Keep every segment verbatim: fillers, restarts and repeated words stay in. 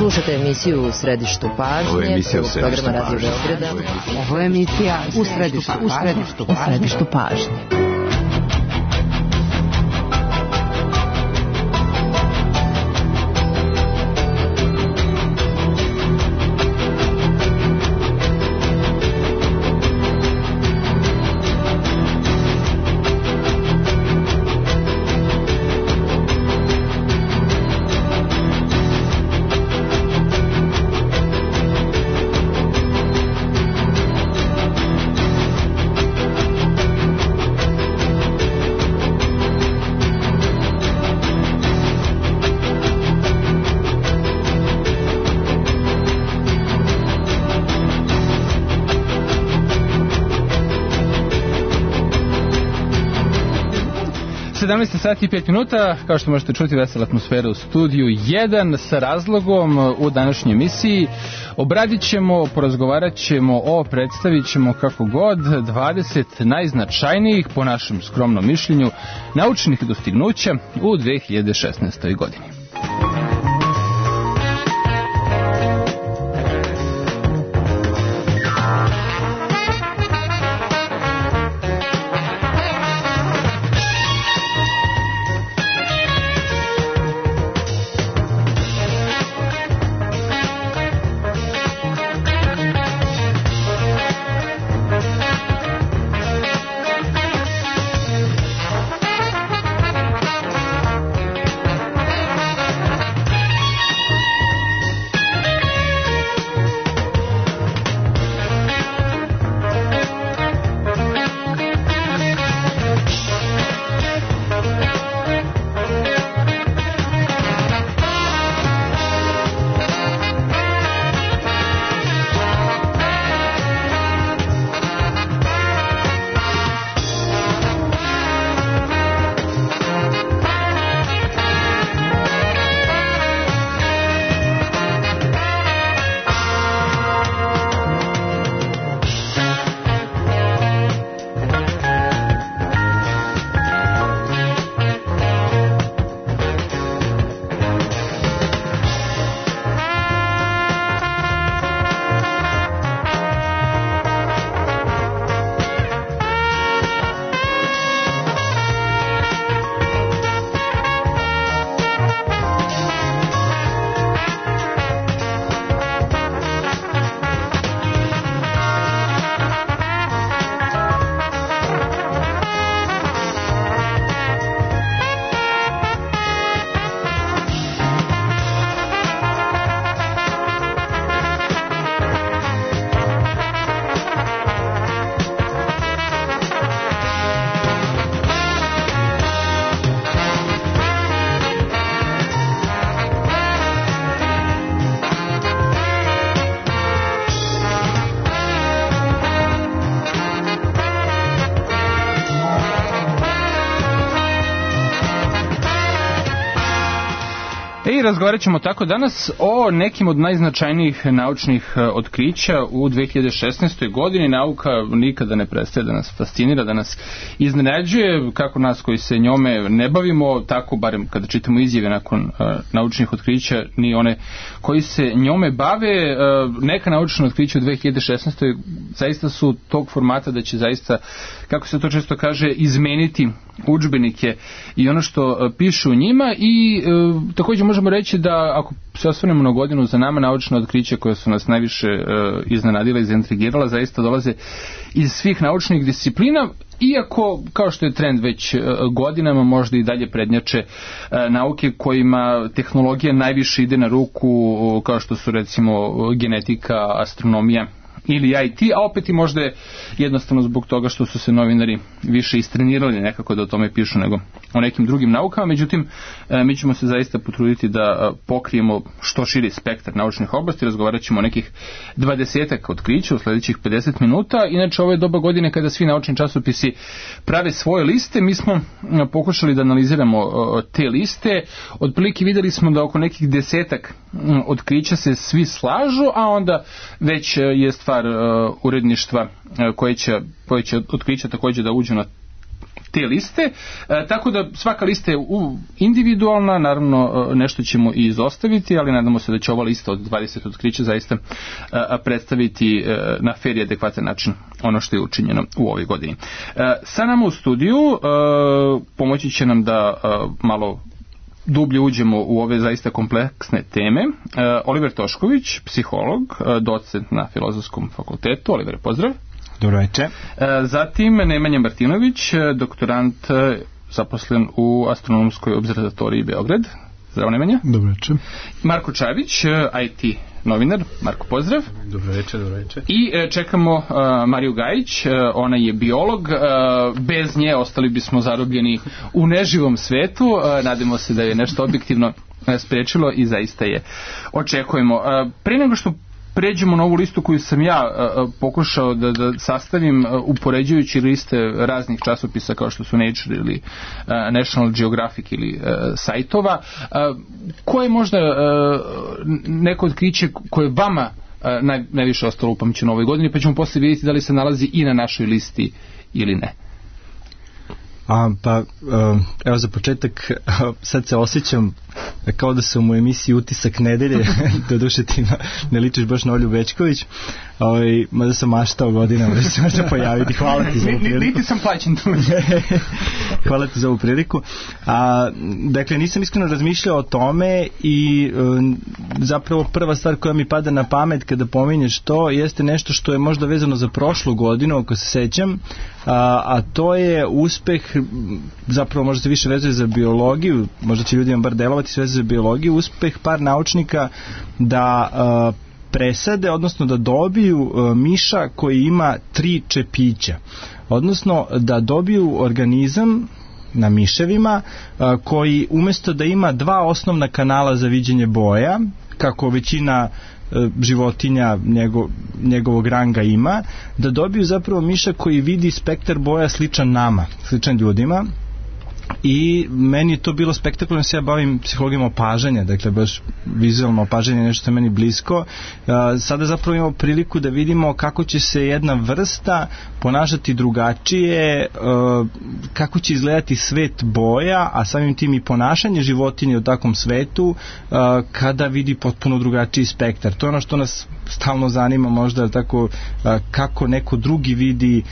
Slušate emisiju U središtu pažnje. Ovo je emisija U središtu programa Radio Beograda. Ovo je emisija U središtu, u središtu, u središtu pažnje. sedamnaest sati i pet minuta, kao što možete čuti, vesela atmosfera u studiju jedan sa razlogom u današnjoj emisiji. Obradit ćemo, porazgovarat ćemo o, predstavit ćemo kako god dvadeset najznačajnijih, po našem skromnom mišljenju, naučnih dostignuća u dve hiljade šesnaestoj godini. I razgovarat ćemo tako danas o nekim od najznačajnijih naučnih otkrića u dve hiljade šesnaestoj godini. Nauka nikada ne prestaje da nas fascinira, da nas iznenađuje, kako nas koji se njome ne bavimo, tako barem kada čitamo izjave nakon uh, naučnih otkrića, ni one koji se njome bave. Uh, neka naučna otkrića u dve hiljade šesnaestoj zaista su tog formata da će zaista, kako se to često kaže, izmeniti udžbenike i ono što piše u njima. I e, također možemo reći da ako se osvrnemo na godinu za nama, naučna otkrića koja su nas najviše e, iznenadila i zaintrigirala zaista dolaze iz svih naučnih disciplina, iako kao što je trend već e, godinama možda i dalje prednjače e, nauke kojima tehnologija najviše ide na ruku, o, kao što su recimo genetika, astronomija ili I T, a opet i možda je jednostavno zbog toga što su se novinari više istrenirali nekako da o tome pišu nego o nekim drugim naukama. Međutim, mi ćemo se zaista potruditi da pokrijemo što širi spektar naučnih oblasti. Razgovarat ćemo o nekih dvadesetak otkrića u sljedećih pedeset minuta. Inače, ovo je doba godine kada svi naučni časopisi prave svoje liste. Mi smo pokušali da analiziramo te liste. Otprilike videli smo da oko nekih desetak otkrića se svi slažu, a onda već je stvar uredništva koje će, koje će otkrića također da uđu na te liste, e, tako da svaka lista je individualna, naravno nešto ćemo i izostaviti, ali nadamo se da će ova lista od dvadeset otkrića zaista e, predstaviti e, na fer i adekvatan način ono što je učinjeno u ovoj godini. E, sa nama u studiju e, pomoći će nam da e, malo dublje uđemo u ove zaista kompleksne teme. E, Oliver Tošković, psiholog, e, docent na Filozofskom fakultetu. Oliver, pozdrav. Dobro večer. E, zatim Nemanja Martinović, doktorant zaposlen u Astronomskoj observatoriji Beograd. Zdravo, Nemanja. Dobro večer. Marko Čavić, I T novinar. Marko, pozdrav. Dobro večer, dobro večer. I e, čekamo uh, Mariju Gajić, uh, ona je biolog, uh, bez nje ostali bismo zarobljeni u neživom svetu, uh, nadamo se da je nešto objektivno uh, sprečilo i zaista je očekujemo. Uh, prije nego što pređemo na ovu listu koju sam ja uh, pokušao da, da sastavim uh, upoređujući liste raznih časopisa kao što su Nature ili uh, National Geographic ili uh, sajtova, uh, koje je možda uh, neko otkriće koje vama uh, naj, najviše ostalo upamćeno u ovoj godini, pa ćemo poslije vidjeti da li se nalazi i na našoj listi ili ne. A, pa, evo za početak, sad se osjećam kao da sam u emisiji Utisak nedelje, do duše ti ne ličiš baš na Olju Bečković, ovaj, mada sam maštao godinama da se možda pojaviti. Hvala ti za ovu priliku. Niti sam plaćen tu. Hvala ti za ovu priliku. A, dakle, nisam iskreno razmišljao o tome i um, zapravo prva stvar koja mi pada na pamet kada pominješ to jeste nešto što je možda vezano za prošlu godinu, ako se sećam, a, a to je uspeh, zapravo možda se više vezuje za biologiju, možda će ljudima bar delovati sve za biologiju, uspeh par naučnika da a, presade, odnosno da dobiju a, miša koji ima tri čepića, odnosno da dobiju organizam na miševima a, koji umjesto da ima dva osnovna kanala za viđenje boja, kako većina životinja njego, njegovog ranga ima, da dobiju zapravo miša koji vidi spektar boja sličan nama, sličan ljudima. I meni je to bilo spektakularno, se ja bavim psihologijom opažanja, dakle baš vizualno opažanje je nešto što je meni blisko. Sada zapravo imamo priliku da vidimo kako će se jedna vrsta ponašati drugačije, kako će izgledati svet boja, a samim tim i ponašanje životinje u takvom svetu kada vidi potpuno drugačiji spektar. To je ono što nas stalno zanima, možda tako, kako neko drugi vidi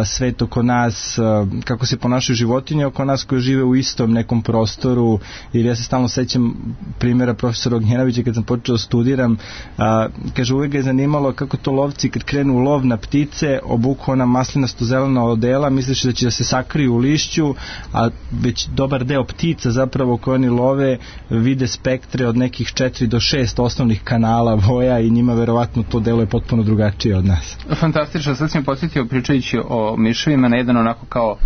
svet oko nas, kako se ponašaju životinje oko nas koje žive u istom nekom prostoru. Ili ja se stalno sećam primjera profesora Ognjenovića kad sam počeo studiram, a, kaže, uvijek ga je zanimalo kako to lovci kad krenu u lov na ptice obuku ona maslinasto zelena odela, misliš da će da se sakriju u lišću, a već dobar deo ptica zapravo koje oni love vide spektre od nekih četiri do šest osnovnih kanala boja i njima verovatno to delo je potpuno drugačije od nas. Fantastično, sad sam podsjetio pričajući o miševima na jedan onako kao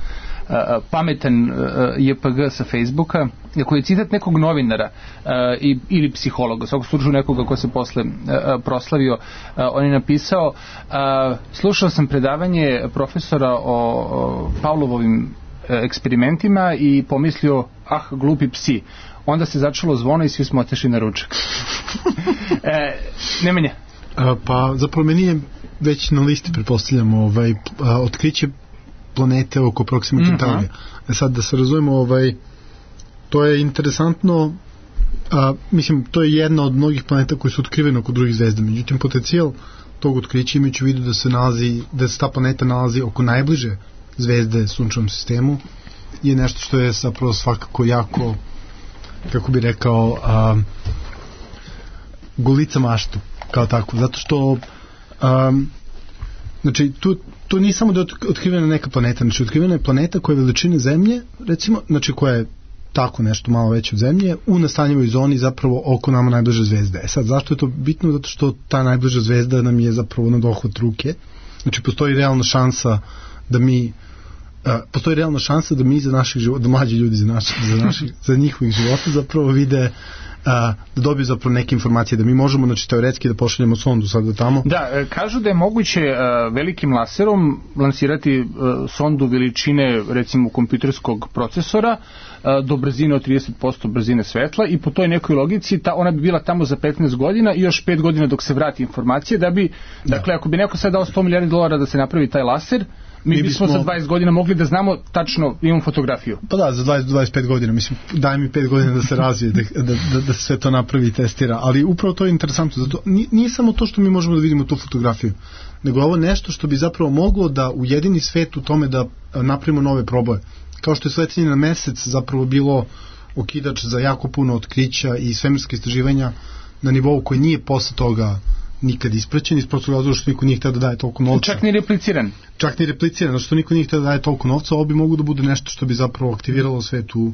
Uh, pametan uh, J P G sa Facebooka, koji je citat nekog novinara uh, i, ili psihologa, svakog slučaju nekoga ko se posle uh, proslavio. Uh, on je napisao, uh, slušao sam predavanje profesora o, o Pavlovovim uh, eksperimentima i pomislio, ah, glupi psi. Onda se začelo zvono i svi smo otešli na ručak. e, Nemanja. A, pa zapravo meni je već na listi, pretpostavljam, ovaj, a, otkriće planete oko Proxima Centaurija. Mm-hmm. Sad da se razumemo, ovaj, to je interesantno, a, mislim, to je jedna od mnogih planeta koji su otkrivene oko drugih zvezda. Međutim, potencijal tog otkrića imajući u vidu da se nalazi, da se ta planeta nalazi oko najbliže zvezde sunčevom sistemu, je nešto što je zapravo svakako jako, kako bi rekao, a, gulica maštu, kao tako, zato što a, znači, tu to nije samo da je otkrivena neka planeta, znači otkrivena je planeta koja je veličine Zemlje, recimo, znači koja je tako nešto malo veće od Zemlje, u nastanjivoj zoni zapravo oko nama najbliže zvezde. E sad, zašto je to bitno? Zato što ta najbliža zvezda nam je zapravo na dohvat ruke. Znači, postoji realna šansa da mi uh, postoji realna šansa da mi za naših života, da mlađi ljudi za, naši, za, naših, za njihovih života zapravo vide Uh, da dobiju zapravo neke informacije, da mi možemo, znači, teoretski da pošaljemo sondu sada tamo. Da, kažu da je moguće uh, velikim laserom lansirati uh, sondu veličine, recimo, kompjuterskog procesora uh, do brzine od trideset posto brzine svetla i po toj nekoj logici ta, ona bi bila tamo za petnaest godina i još pet godina dok se vrati informacije, da bi, da. Dakle, ako bi neko sad dao sto milijardi dolara da se napravi taj laser, mi, mi bismo, bismo za dvadeset godina mogli da znamo tačno, imamo fotografiju. Pa da, za dvadeset do dvadeset pet godina, mislim, daj mi pet godina da se razvije, da, da, da, da se sve to napravi i testira, ali upravo to je interesantno, zato nije samo to što mi možemo da vidimo tu fotografiju, nego ovo nešto što bi zapravo moglo da ujedini svet u tome da napravimo nove proboje. Kao što je sletanje na mesec zapravo bilo okidač za jako puno otkrića i svemirske istraživanja na nivou koji nije posle toga nikad ispraćen, iz prostog razloga što niko nije htio da daje toliko novca. Čak ni repliciran. Čak ni repliciran, zato što niko nije htio da daje toliko novca, ovo bi mogu da bude nešto što bi zapravo aktiviralo svet u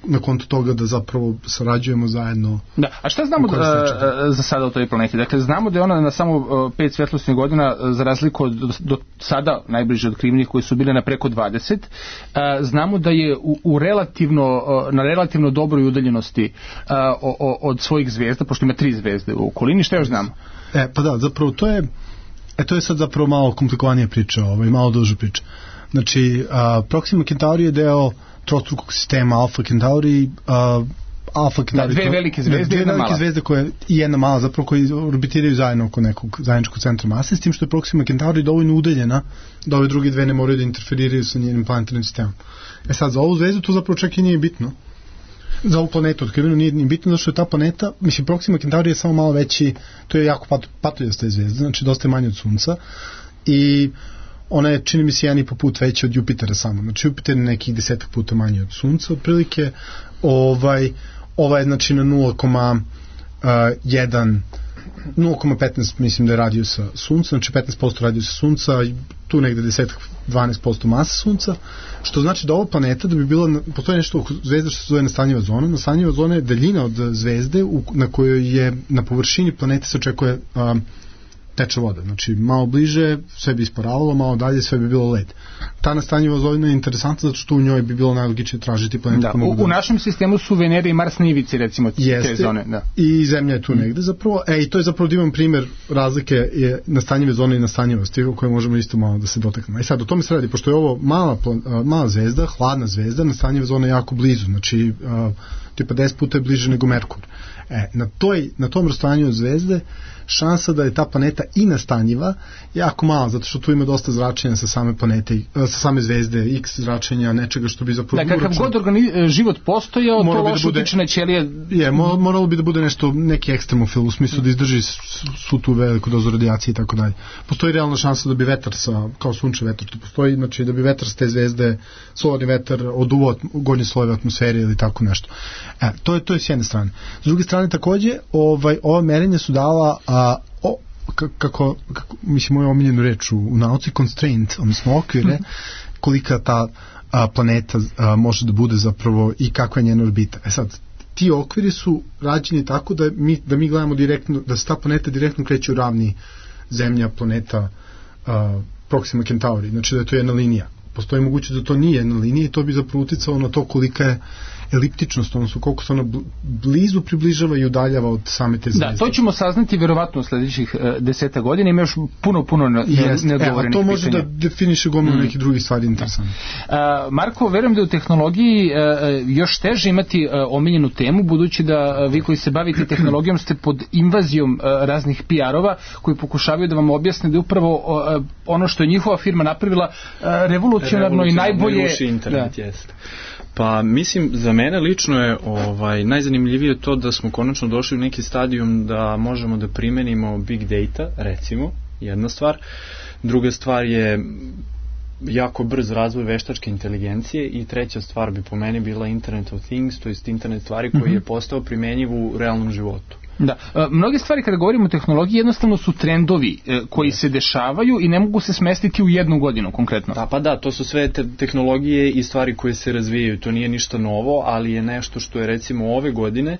na konto toga da zapravo sarađujemo zajedno. Da, a šta znamo da, za sada o toj planeti? Dakle, znamo da je ona na samo pet svetlosnih godina, za razliku od do, do sada najbliže otkrivenih koji su bile na preko dvadeset, znamo da je u, u relativno, na relativno dobroj udaljenosti o, o, od svojih zvezda, pošto ima tri zvezde u okolini. Šta još znamo? E, pa da, zapravo to je e, to je sad zapravo malo komplikovanija priča, ovaj, malo duža priča. Znači, a, Proxima Centauri je deo trostrukog sistema Alpha Centauri, uh, Alpha Centauri, da, dve velike zvezde, dve jedna velike mala. zvezde koje i jedna mala, zapravo koji orbitiraju zajedno oko nekog zajedničkog centra mase, s tim što je Proxima Centauri dovoljno udaljena da ove druge dve ne moraju da interferiraju sa njenim planetarnim sistemom. E sad, za ovu zvezdu to zapravo čak i nije bitno. Za ovu planetu otkriveno nije ni bitno, zato što je ta planeta, mislim, Proxima Centauri je samo malo veći, to je jako pat, patoljasta zvezda, znači dosta je manje od Sunca i ona je, čini mi se, jedan i po put veća od Jupitera samo. Znači, Jupiter je nekih desetak puta manje od Sunca, otprilike. Ovaj, ova je, znači, na nula zarez jedan, nula zarez petnaest, mislim da je radijusa Sunca, znači petnaest posto radijusa Sunca, tu negde deset do dvanaest posto masa Sunca, što znači da ova planeta, da bi bila, postoji nešto zvezda što se zove nastanjiva zona. Nastanjiva zona je daljina od zvezde u, na kojoj je na površini planete se očekuje a, teče voda, znači malo bliže sve bi isporavalo, malo dalje sve bi bilo led. Ta nastanjiva zona je interesantna zato što u njoj bi bilo najlogičnije tražiti planete. Da, u, u našem sistemu su Venere i Mars na ivici, recimo, jeste, te zone. Da. I Zemlja je tu mm. negde zapravo. E, i to je zapravo divan primer razlike je nastanjive zone i nastanjivosti o kojoj možemo isto malo da se dotaknemo. I sad, o tome se radi, pošto je ovo mala, mala zvezda, hladna zvezda, nastanjiva zona je jako blizu, znači uh, tipa deset puta je bliže nego Merkur. E, na, toj, na tom rastojanju od zvezde šansa da je ta planeta i nastanjiva jako mala, zato što tu ima dosta zračenja sa same planete, sa same zvezde, x zračenja, nečega što bi zapravo... Da, kakav god organi- život postojao, to loše da utiče na ćelije... Je, moralo bi da bude nešto, neki ekstremofil, u smislu da izdrži svu tu veliku dozu radijacije i tako dalje. Postoji realna šansa da bi vetar sa, kao sunčev vetar, to postoji, znači da bi vetar s te zvezde, solarni vetar, oduvao gornje slojeve atmosfere ili tako nešto. E, to je, to je s jedne strane. S druge strane, takođe, ovaj, ova merenja su dala a, o, kako, kako mislim moju omiljenu reč u, u nauci, constraint, odnosno okvire, kolika ta a, planeta a, može da bude zapravo i kakva je njena orbita. E sad, ti okviri su rađeni tako da mi, da mi gledamo direktno, da se ta planeta direktno kreće u ravni Zemlja, planeta a, Proxima Centauri, znači da je to jedna linija. Postoji mogućnost da to nije jedna linija i to bi zapravo uticalo na to kolika je eliptičnost, odnosno koliko se ona blizu približava i udaljava od same te zvezde. Da, to ćemo saznati verovatno u sledećih uh, deseta godina, ima još puno, puno neodgovorenih pitanja. E, a to može da definiše gomilu mm. nekih drugih stvari interesantnih. Uh, Marko, verujem da u tehnologiji uh, još teže imati uh, omiljenu temu, budući da uh, vi koji se bavite tehnologijom ste pod invazijom uh, raznih P R-ova koji pokušavaju da vam objasne da je upravo uh, ono što je njihova firma napravila uh, revolucionarno i najbolje... Internet, da. Jeste. Pa mislim, za mene lično je ovaj, najzanimljivije to da smo konačno došli u neki stadijum da možemo da primenimo big data, recimo, jedna stvar. Druga stvar je jako brz razvoj veštačke inteligencije i treća stvar bi po meni bila Internet of Things, to jest internet stvari koji mm-hmm. je postao primenjiv u realnom životu. Da, e, mnoge stvari kada govorimo o tehnologiji jednostavno su trendovi e, koji se dešavaju i ne mogu se smestiti u jednu godinu konkretno. Da, pa da, to su sve te tehnologije i stvari koje se razvijaju, to nije ništa novo, ali je nešto što je recimo ove godine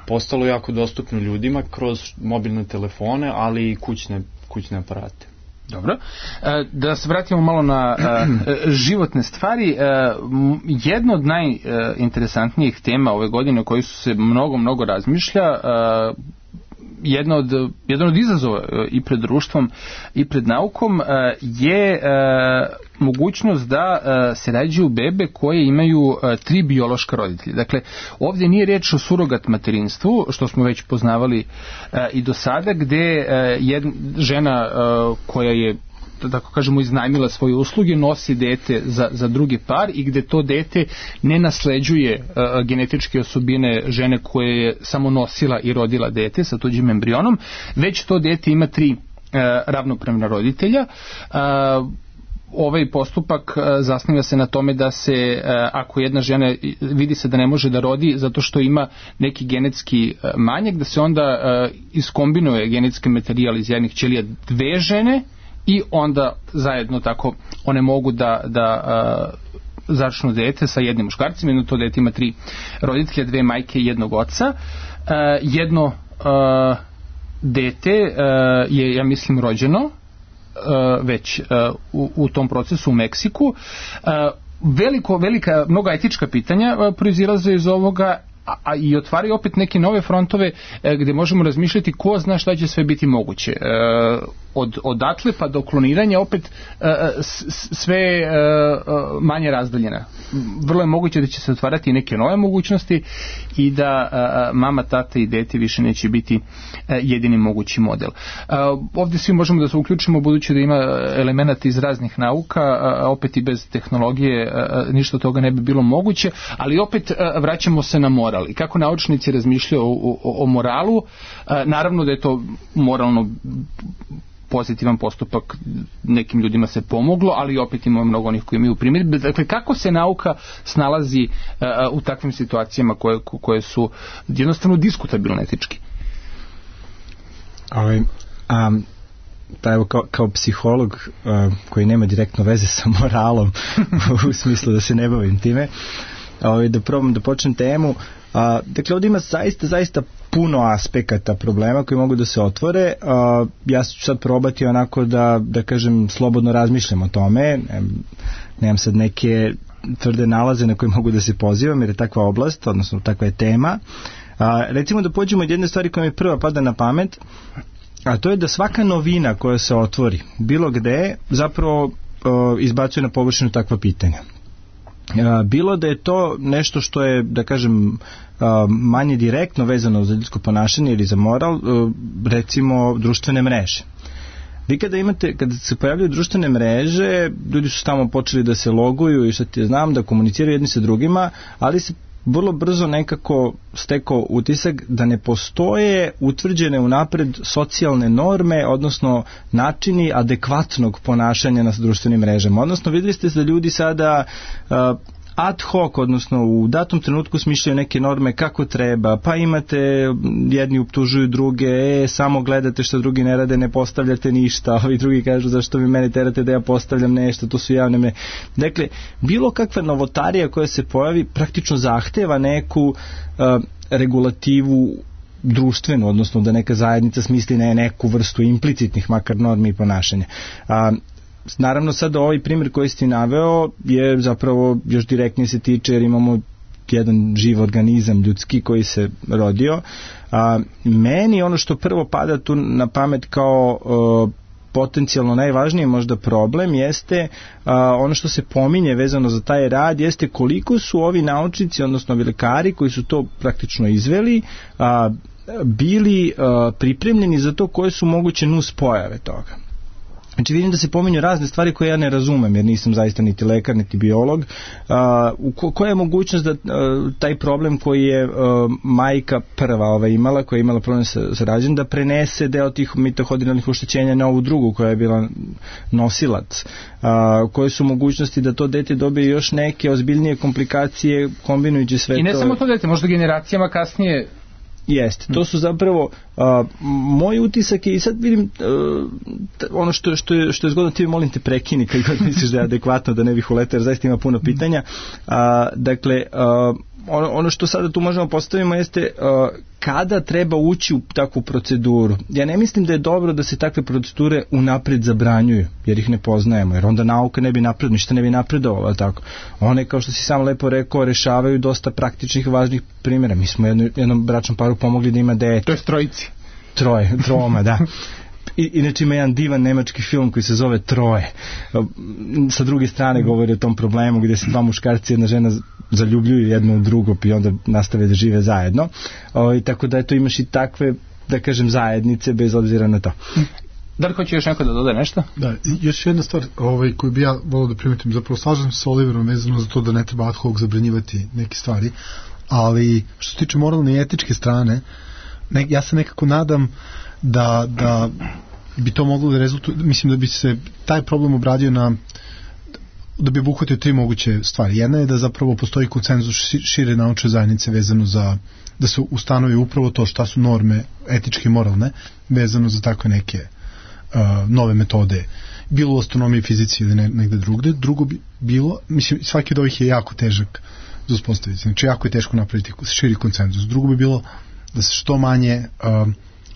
postalo jako dostupno ljudima kroz mobilne telefone, ali i kućne, kućne aparate. Dobro. Da se vratimo malo na životne stvari. Jedna od najinteresantnijih tema ove godine o kojoj su se mnogo, mnogo razmišlja, jedna od, jedan od izazova i pred društvom i pred naukom je mogućnost da se rađaju bebe koje imaju tri biološka roditelja. Dakle, ovdje nije riječ o surogat materinstvu, što smo već poznavali i do sada, gde jedna žena koja je tako kažemo, iznajmila svoje usluge, nosi dete za, za drugi par i gde to dete ne nasleđuje uh, genetičke osobine žene koje je samo nosila i rodila dete sa tuđim embrionom, već to dete ima tri uh, ravnopravna roditelja. Uh, Ovaj postupak zasniva se na tome da se, ako jedna žena vidi se da ne može da rodi zato što ima neki genetski manjak, da se onda iskombinuje genetski materijal iz jednih ćelija dve žene i onda zajedno tako one mogu da, da začnu dete sa jednim muškarcem, jedno to dete ima tri roditelja, dve majke i jednog oca. Jedno dete je, ja mislim, rođeno Uh, već uh, u, u tom procesu u Meksiku. Uh, veliko, velika, mnoga etička pitanja uh, proizilaze iz ovoga, a, a i otvaraju opet neke nove frontove uh, gde možemo razmišljati ko zna šta će sve biti moguće. Uh, od odatle pa do kloniranja opet uh, sve uh, manje razdaljena. Vrlo je moguće da će se otvarati neke nove mogućnosti i da uh, mama, tata i dete više neće biti uh, jedini mogući model. Uh, ovdje svi možemo da se uključimo budući da ima elemenata iz raznih nauka, uh, opet i bez tehnologije uh, ništa toga ne bi bilo moguće, ali opet uh, vraćamo se na moral i kako naučnici razmišljaju o, o, o moralu. Uh, naravno da je to moralno pozitivan postupak, nekim ljudima se pomoglo, ali opet imamo mnogo onih koji imaju primjedbe. Dakle, kako se nauka snalazi uh, u takvim situacijama koje, koje su jednostavno diskutabilne etički? Ovaj, um, pa evo kao, kao psiholog uh, koji nema direktno veze sa moralom u smislu da se ne bavim time, ovaj, da probam da počnem temu. A, dakle, ovdje ima zaista, zaista puno aspekata problema koji mogu da se otvore. A, ja ću sad probati onako da, da kažem, slobodno razmišljam o tome. Ne, nemam sad neke tvrde nalaze na koje mogu da se pozivam, jer je takva oblast, odnosno takva je tema. A, recimo da pođemo od jedne stvari koja mi prva pada na pamet, a to je da svaka novina koja se otvori, bilo gde, zapravo a, izbacuje na površinu takva pitanja. Bilo da je to nešto što je, da kažem, manje direktno vezano za ljudsko ponašanje ili za moral, recimo društvene mreže. Vi kada imate, kada se pojavljaju društvene mreže, ljudi su tamo počeli da se loguju i što ti znam, da komuniciraju jedni sa drugima, ali se vrlo brzo nekako stekao utisak da ne postoje utvrđene unapred socijalne norme, odnosno načini adekvatnog ponašanja na društvenim mrežama. Odnosno, vidjeli ste da ljudi sada uh, ad hoc, odnosno u datom trenutku smišljaju neke norme kako treba, pa imate jedni optužuju druge, e, samo gledate što drugi ne rade, ne postavljate ništa, ovi drugi kažu zašto vi mene terate da ja postavljam nešto, to su javne mreže. Dakle, bilo kakva novotarija koja se pojavi praktično zahteva neku uh, regulativu društvenu, odnosno da neka zajednica smisli ne neku vrstu implicitnih makar normi i ponašanja. A, naravno sad ovaj primjer koji ste naveo je zapravo još direktnije se tiče jer imamo jedan živ organizam ljudski koji se rodio. A, meni ono što prvo pada tu na pamet kao a, potencijalno najvažniji možda problem jeste a, ono što se pominje vezano za taj rad jeste koliko su ovi naučnici, odnosno lekari koji su to praktično izveli, a, bili a, pripremljeni za to koje su moguće nus pojave toga. Znači vidim da se pominju razne stvari koje ja ne razumem jer nisam zaista niti lekar niti biolog. Uh, ko, koja je mogućnost da uh, taj problem koji je uh, majka prva ova imala, koja je imala problem sa, sa rađenjem, da prenese deo tih mitohondrijalnih oštećenja na ovu drugu koja je bila nosilac. Uh, koje su mogućnosti da to dete dobije još neke ozbiljnije komplikacije kombinujući sve to. I ne to... samo to dete, možda generacijama kasnije. Jeste, to su zapravo uh, moj utisak je i sad vidim uh, ono što, što, je, što je zgodno, ti molim te prekini kad god misliš da je adekvatno da ne bih uletao jer zaista ima puno pitanja. Uh, dakle, uh, ono, ono što sada tu možemo postavimo jeste uh, kada treba ući u takvu proceduru. Ja ne mislim da je dobro da se takve procedure unapred zabranjuju jer ih ne poznajemo, jer onda nauka ne bi napred, ništa ne bi napredovala tako. One, kao što si sam lepo rekao, rešavaju dosta praktičnih važnih primjera. Mi smo jedno, jednom bračnom paru pomogli da ima dete. To je trojici. Troje, troma, da. I, inače ima jedan divan nemački film koji se zove Troje. Sa druge strane govori o tom problemu gdje se dva muškarci i jedna žena zaljubljuju jedno u drugo i onda nastave da žive zajedno. O, i tako da eto imaš i takve, da kažem, zajednice bez obzira na to. Da li hoće još neko da doda nešto? Da, još jedna stvar ovaj, koju bi ja volio da primetim, zapravo slažem se s Oliverom vezano za to da ne treba ad hoc zabranjivati neke stvari, ali što se tiče moralne i etičke strane, ne, ja se nekako nadam da, da bi to moglo da rezultuje, mislim da bi se taj problem obradio na, da bi obuhvatio tri moguće stvari. Jedna je da zapravo postoji konsenzus šire naučne zajednice vezano za, da se ustanovi upravo to šta su norme etičke i moralne vezano za takve neke uh, nove metode, bilo u astronomiji, fizici ili ne, negde drugde. Drugo bi bilo, mislim, svaki od ovih je jako težak za uspostaviti, znači jako je teško napraviti širi konsenzus. Drugo bi bilo da se što manje uh,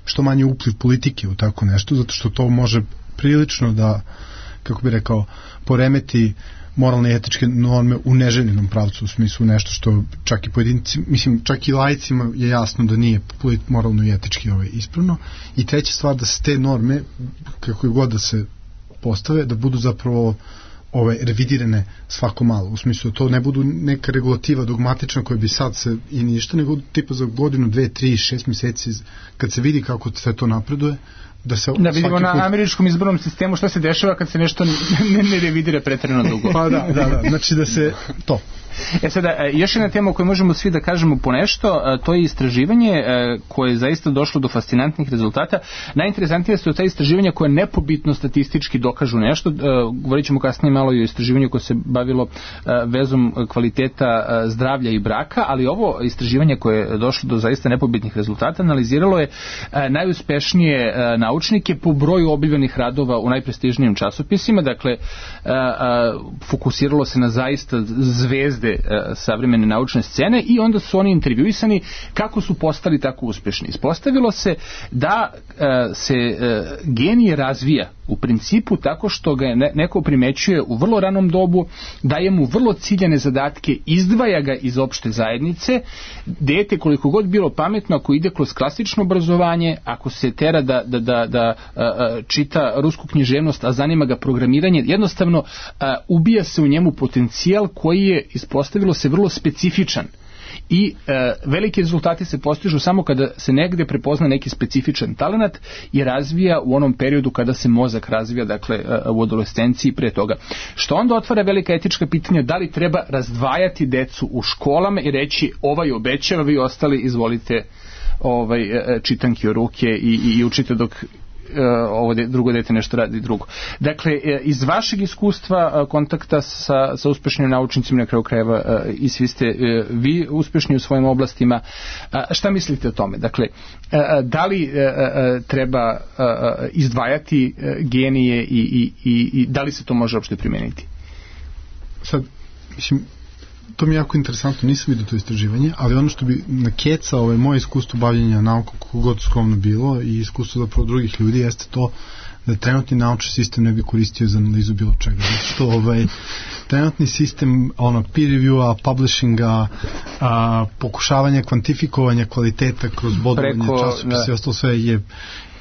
što manje upliv politike u tako nešto, zato što to može prilično da, kako bi rekao, poremeti moralne i etičke norme u neželjenom pravcu, u smislu nešto što čak i pojedinci, mislim, čak i laicima je jasno da nije moralno i etički ovaj, ispravno. I treća stvar, da se te norme, kako god da se postave, da budu zapravo ove revidirane svako malo, u smislu da to ne budu neka regulativa dogmatična koja bi sad se i ništa, nego tipa za godinu, dve, tri, šest mjeseci kad se vidi kako sve to napreduje, da se da vidimo na put... američkom izbornom sistemu šta se dešava kad se nešto ne, ne revidira pretjerano dugo. Pa da, da, da, znači da se to. E sada, još jedna tema o kojoj možemo svi da kažemo po nešto, to je istraživanje koje je zaista došlo do fascinantnih rezultata. Najinteresantnije su ta istraživanja koje nepobitno statistički dokažu nešto. Govorit ćemo kasnije malo i o istraživanju koje se bavilo vezom kvaliteta zdravlja i braka, ali ovo istraživanje koje je došlo do zaista nepobitnih rezultata analiziralo je najuspešnije naučnike po broju objavljenih radova u najprestižnijim časopisima. Dakle, fokusiralo se na zaista zvezde savremene naučne scene i onda su oni intervjuisani kako su postali tako uspješni. Ispostavilo se da se genije razvija u principu tako što ga neko primećuje u vrlo ranom dobu, daje mu vrlo ciljane zadatke, izdvaja ga iz opšte zajednice. Dete koliko god bilo pametno, ako ide kroz klasično obrazovanje, ako se tera da, da, da, da čita rusku književnost, a zanima ga programiranje, jednostavno ubija se u njemu potencijal koji je, ispostavilo se, vrlo specifičan. I e, veliki rezultati se postižu samo kada se negde prepozna neki specifičan talenat i razvija u onom periodu kada se mozak razvija, dakle u adolescenciji pre toga. Što onda otvara velika etička pitanja, da li treba razdvajati decu u školama i reći ovaj obećava, vi ostali izvolite ovaj, čitanki o ruke i, i, i učite dok ovo de, drugo dete nešto radi drugo. Dakle, iz vašeg iskustva kontakta sa, sa uspešnim naučnicima, na kraju krajeva i svi ste vi uspešni u svojim oblastima, šta mislite o tome? Dakle, da li treba izdvajati genije i, i, i, i da li se to može uopšte primeniti? Sad, mislim, to mi je jako interesantno, nisam vidio to istraživanje, ali ono što bi nakecao ovaj, moje iskustvo bavljenja naukom, kako god skromno bilo, i iskustvo zapravo drugih ljudi, jeste to da trenutni naučni sistem ne bi koristio za analizu bilo čega. Zato što ovaj, trenutni sistem ono, peer review-a, publishinga, a, pokušavanja kvantifikovanja kvaliteta kroz bodovanje časopisa i ostalo sve je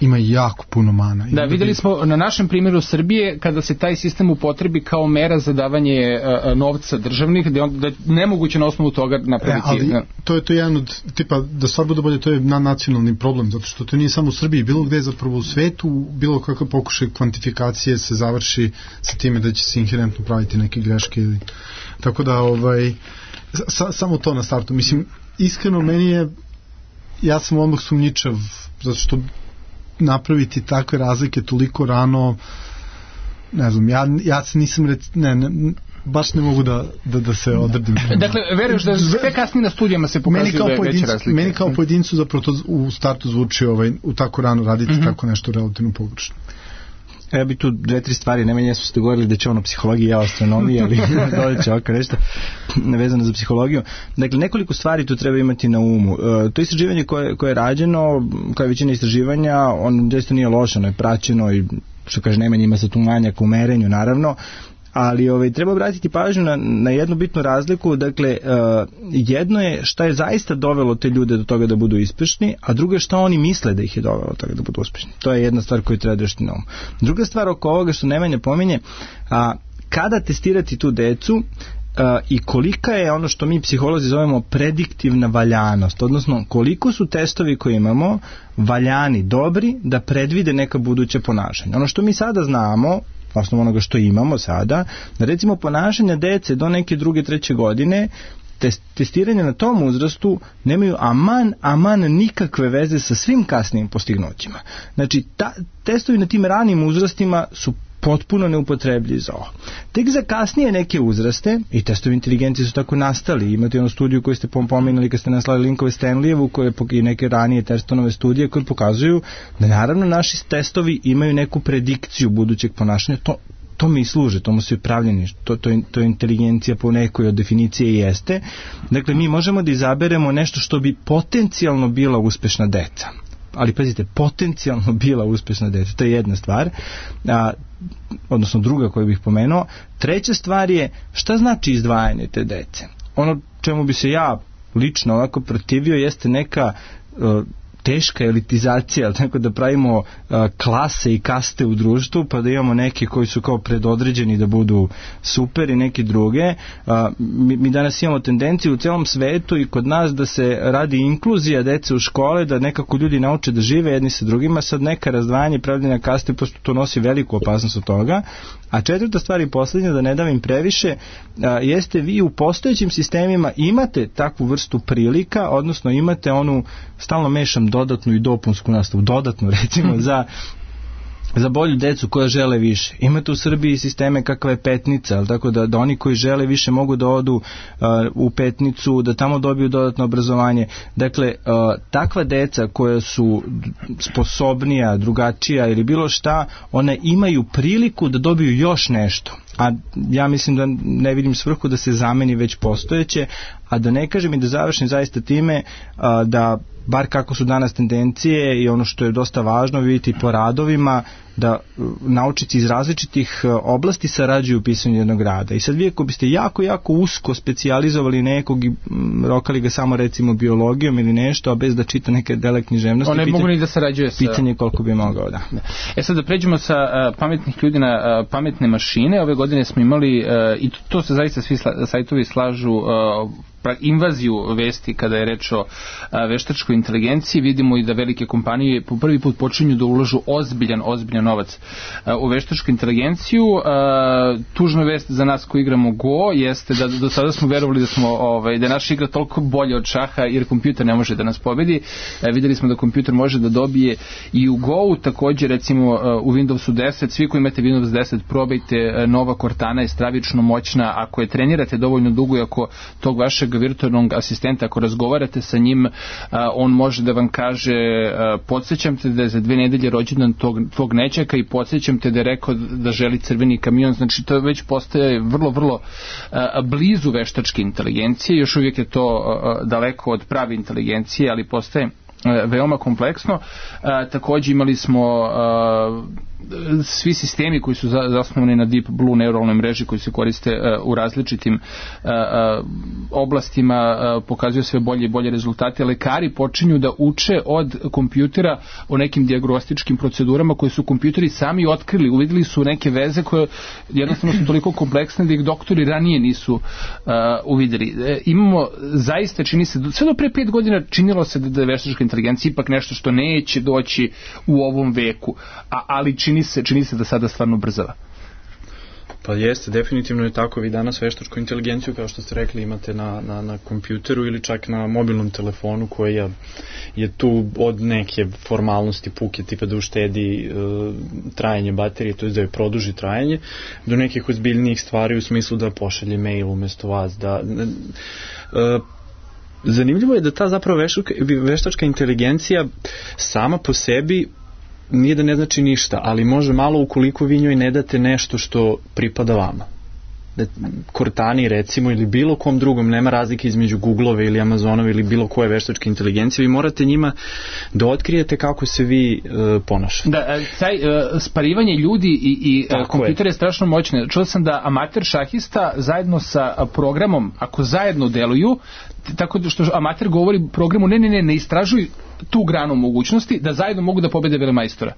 ima jako puno mana. Da, vidjeli smo na našem primjeru Srbije kada se taj sistem upotrebi kao mera za davanje uh, novca državnih, da je, on, da je nemoguće na osnovu toga napraviti. E, ali ne. to je to jedan od, tipa, da stvar bude bolje, to je nacionalni problem, zato što to nije samo u Srbiji, bilo gde zapravo u svetu, bilo kakav pokušaj kvantifikacije se završi sa time da će se inherentno praviti neke greške ili, tako da ovaj, sa, samo to na startu. Mislim, iskreno meni je, ja sam odmah sumnjičav, zato što napraviti takve razlike toliko rano, ne znam, ja, ja se nisam rec, ne, ne, baš ne mogu da, da, da se odredim. Dakle, veruješ da sve kasnije na studijama se pokazuju ve, veće razlike? Meni kao pojedincu zapravo to u startu zvuči ovaj, u tako rano raditi mm-hmm. tako nešto relativno pogrešno. Ja bi tu dve, tri stvari, ne meni su ste govorili da će ono psihologija, ja o astronomiji, ali dođe će ovako nešto vezano za psihologiju. Dakle, nekoliko stvari tu treba imati na umu. E, to istraživanje koje, koje je rađeno, kao je većina istraživanja, on doista nije loše, ono je praćeno i, što kaže Nemanj, ima se tu manjak u merenju, naravno, ali ovaj, treba obratiti pažnju na, na jednu bitnu razliku. Dakle, uh, jedno je šta je zaista dovelo te ljude do toga da budu uspešni, a drugo je šta oni misle da ih je dovelo do toga da budu uspešni. To je jedna stvar koju treba držati na umu. Druga stvar oko ovoga što Nemanja pominje, a, kada testirati tu decu, i kolika je ono što mi psiholozi zovemo prediktivna valjanost, odnosno koliko su testovi koje imamo valjani, dobri da predvide neka buduća ponašanja. Ono što mi sada znamo, osnovu onoga što imamo sada, da recimo ponašanja dece do neke druge, treće godine, testiranje na tom uzrastu nemaju aman, aman nikakve veze sa svim kasnijim postignućima. Znači, ta, testovi na tim ranim uzrastima su potpuno neupotrebljivi za ovo. Tek za kasnije neke uzraste, i testovi inteligencije su tako nastali, imate onu studiju koju ste pominjali kad ste naslali linkove Stanleyevu, koje i neke ranije testonove studije koje pokazuju da naravno naši testovi imaju neku predikciju budućeg ponašanja. To to mi služe, tomu su i pravljeni, to, to, to je inteligencija po nekoj od definicije i jeste. Dakle, mi možemo da izaberemo nešto što bi potencijalno bila uspešna deca. Ali pazite, potencijalno bila uspešna deca, to je jedna stvar, a, odnosno druga koju bih pomenuo. Treća stvar je šta znači izdvajanje te dece. Ono čemu bi se ja lično ovako protivio jeste neka uh, teška elitizacija, tako da pravimo uh, klase i kaste u društvu, pa da imamo neki koji su kao predodređeni da budu super i neki druge. Uh, mi, mi danas imamo tendenciju u celom svetu i kod nas da se radi inkluzija dece u škole, da nekako ljudi nauče da žive jedni sa drugima, sad neka razdvajanje pravljenja kaste, pošto to nosi veliku opasnost od toga. A četvrta stvar i posljednja, da ne davim previše, a, jeste vi u postojećim sistemima imate takvu vrstu prilika, odnosno imate onu, stalno mešam dodatnu i dopunsku nastavu, dodatnu recimo za za bolju decu koja žele više. Imate u Srbiji sisteme kakva je Petnica, ali tako da, da oni koji žele više mogu da odu uh, u Petnicu, da tamo dobiju dodatno obrazovanje. Dakle, uh, takva deca koja su sposobnija, drugačija ili bilo šta, one imaju priliku da dobiju još nešto. A ja mislim da ne vidim svrhu da se zameni već postojeće, a da ne kažem i da završim zaista time uh, da bar kako su danas tendencije i ono što je dosta važno vidjeti po radovima, da naučnici iz različitih oblasti sarađuju u pisanju jednog rada. I sad vi ako biste jako, jako usko specijalizovali nekog i rokali ga samo recimo biologijom ili nešto, a bez da čita neke dele književnosti, on ne pitanje, mogu ni da sarađuje sa... pitanje koliko bi mogao, da. E sad da pređemo sa uh, pametnih ljudi na uh, pametne mašine. Ove godine smo imali, uh, i to, to se zaista svi sla, sajtovi slažu, uh, invaziju vesti kada je reč o a, veštačkoj inteligenciji. Vidimo i da velike kompanije po prvi put počinju da ulažu ozbiljan, ozbiljan novac a, u veštačku inteligenciju. A, tužna vest za nas koji igramo Go jeste da do sada smo verovali da smo ovaj, da je naša igra toliko bolja od šaha jer kompjuter ne može da nas pobedi. A, videli smo da kompjuter može da dobije i u Go-u. Također recimo a, u Windowsu deset, svi koji imate Windows deset, probajte, a, nova Cortana je stravično moćna. Ako je trenirate dovoljno dugo i ako tog vašeg virtualnog asistenta, ako razgovarate sa njim, a, on može da vam kaže a, podsjećam te da je za dve nedelje rođendan tog, tvog nećaka i podsjećam te da je rekao da želi crveni kamion. Znači to već postaje vrlo, vrlo a, blizu veštačke inteligencije. Još uvijek je to a, daleko od prave inteligencije, ali postaje a, veoma kompleksno. A, također imali smo a, svi sistemi koji su zasnovani na Deep Blue neuralnoj mreži koji se koriste uh, u različitim uh, uh, oblastima uh, pokazuju sve bolje i bolje rezultate. Lekari počinju da uče od kompjutera o nekim dijagnostičkim procedurama koje su kompjuteri sami otkrili. Uvidjeli su neke veze koje jednostavno su toliko kompleksne da ih doktori ranije nisu uh, uvidjeli. E, imamo zaista, čini se, sve do pre pet godina činilo se da je veštačka inteligencija ipak nešto što neće doći u ovom veku, a, ali čini se, čini se da sada stvarno brzava. Pa jeste, definitivno je tako. Vi danas veštačku inteligenciju, kao što ste rekli, imate na, na, na kompjuteru ili čak na mobilnom telefonu koja je tu od neke formalnosti puke tipa da uštedi e, trajanje baterije, to je da je produži trajanje, do nekih ozbiljnijih stvari u smislu da pošalje mail umjesto vas, da... E, zanimljivo je da ta zapravo veštačka, veštačka inteligencija sama po sebi nije da ne znači ništa, ali može malo ukoliko vi njoj ne date nešto što pripada vama. Da, Cortani recimo ili bilo kom drugom, nema razlike između Googleove ili Amazonove ili bilo koje veštačke inteligencije, vi morate njima da otkrijete kako se vi uh, ponašate. Da, taj uh, sparivanje ljudi i, i uh, kompjuter je strašno moćno. Čuo sam da amater šahista zajedno sa programom, ako zajedno deluju, tako da što amater govori programu, ne, ne, ne, ne istražuj tu granu mogućnosti, da zajedno mogu da pobede velemajstora.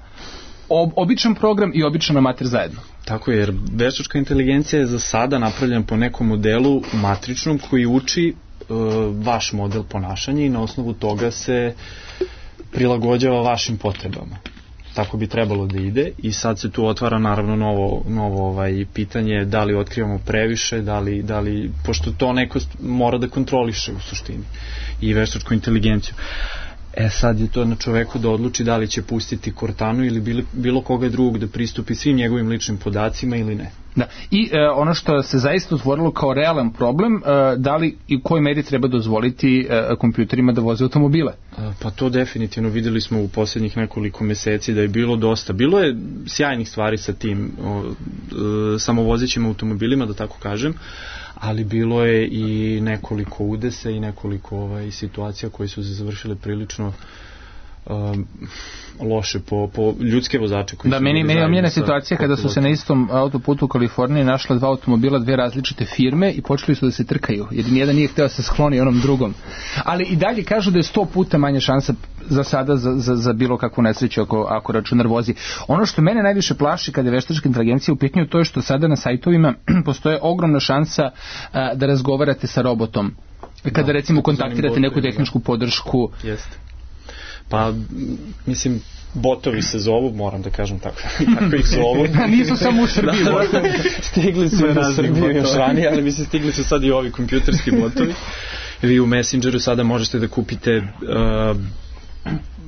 ob, običan program i običan amater zajedno. Tako je, jer veštačka inteligencija je za sada napravljena po nekom modelu matričnom koji uči uh, vaš model ponašanja i na osnovu toga se prilagođava vašim potrebama. Tako bi trebalo da ide i sad se tu otvara naravno novo, novo ovaj, pitanje da li otkrivamo previše, da li, da li, pošto to neko mora da kontroliše u suštini i veštačku inteligenciju. E sad je to na čoveku da odluči da li će pustiti Cortanu ili bilo, bilo koga drugog da pristupi svim njegovim ličnim podacima ili ne. Da. I e, ono što se zaista otvorilo kao realan problem, e, da li i u kojoj meri treba dozvoliti e, kompjuterima da voze automobile? A, pa to definitivno videli smo u posljednjih nekoliko meseci da je bilo dosta. Bilo je sjajnih stvari sa tim o, e, samovozećim automobilima, da tako kažem, ali bilo je i nekoliko udesa i nekoliko ovaj, situacija koje su se završile prilično um, loše po, po ljudske vozače koji da, su meni, meni je omljena sa, situacija kada su se na istom autoputu u Kaliforniji našla dva automobila, dve različite firme i počeli su da se trkaju, jer nijedan nije hteo da se skloni onom drugom. Ali i dalje kažu da je sto puta manja šansa za sada za, za, za bilo kakvu nesreću ako, ako računar vozi. Ono što mene najviše plaši kada je veštačka inteligencija u pitanju, to je što sada na sajtovima postoje ogromna šansa a, da razgovarate sa robotom. Kada da, recimo kontaktirate neku tehničku podršku. Jeste. Pa, mislim, botovi se zovu, moram da kažem tako, tako ih zovu. Nisu samo u Srbiji botovi. Stigli su u Srbiji još ranije, ali mislim, stigli su sad i ovi kompjuterski botovi. Vi u Messengeru sada možete da kupite, uh,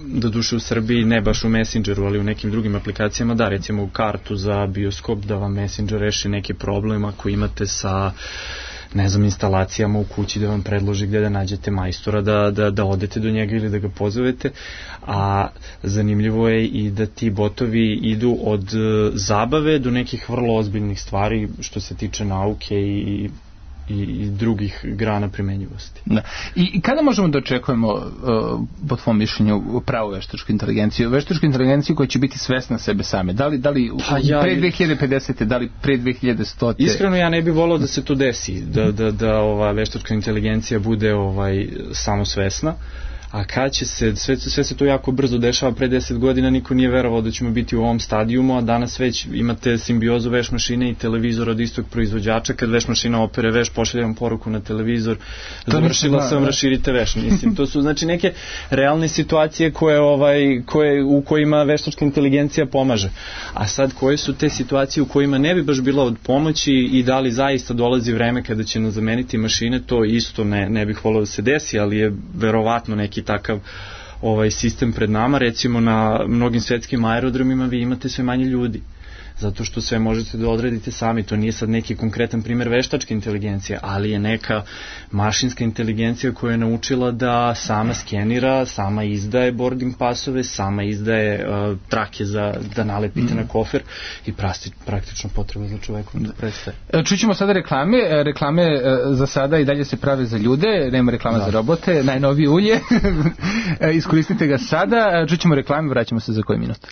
do duše u Srbiji, ne baš u Messengeru, ali u nekim drugim aplikacijama, da, recimo u kartu za bioskop, da vam Messenger reši neki problem ako imate sa ne znam, instalacijama u kući, da vam predloži gdje da nađete majstora, da, da, da odete do njega ili da ga pozovete, a zanimljivo je i da ti botovi idu od uh, zabave do nekih vrlo ozbiljnih stvari što se tiče nauke i i, i drugih grana primenjivosti. Da. I, I kada možemo da očekujemo uh, po tvom mišljenju pravu veštačku inteligenciju? Veštačku inteligenciju koja će biti svesna sebe same. Da li, da li pa ja, pre dve hiljade pedesete, da li pre dve hiljade stote? Iskreno ja ne bih volao da se to desi, da, da, da ova veštačka inteligencija bude ovaj samosvesna. A kad će se, sve, sve se to jako brzo dešava, pre deset godina niko nije verovao da ćemo biti u ovom stadijumu, a danas već imate simbiozu veš mašine i televizor od istog proizvođača, kad veš mašina opere veš, pošalje vam poruku na televizor, završila sam, raširite veš. Mislim, to su znači neke realne situacije koje, ovaj, koje, u kojima veštačka inteligencija pomaže. A sad koje su te situacije u kojima ne bi baš bila od pomoći i da li zaista dolazi vreme kada će nas zameniti mašine, to isto ne, ne bih volio da se desi, ali je verovatno neki takav ovaj sistem pred nama. Recimo na mnogim svetskim aerodromima vi imate sve manje ljudi, zato što sve možete da odredite sami. To nije sad neki konkretan primjer veštačke inteligencije, ali je neka mašinska inteligencija koja je naučila da sama skenira, sama izdaje boarding pasove, sama izdaje uh, trake za da nalepite mm. na kofer i prasti, praktično potreba za čovekom da prestaje. Čućemo sada reklame. Reklame za sada i dalje se prave za ljude, nema reklama da. za robote, najnovije ulje. Iskoristite ga sada. Čućemo reklame, vraćamo se za koji minut.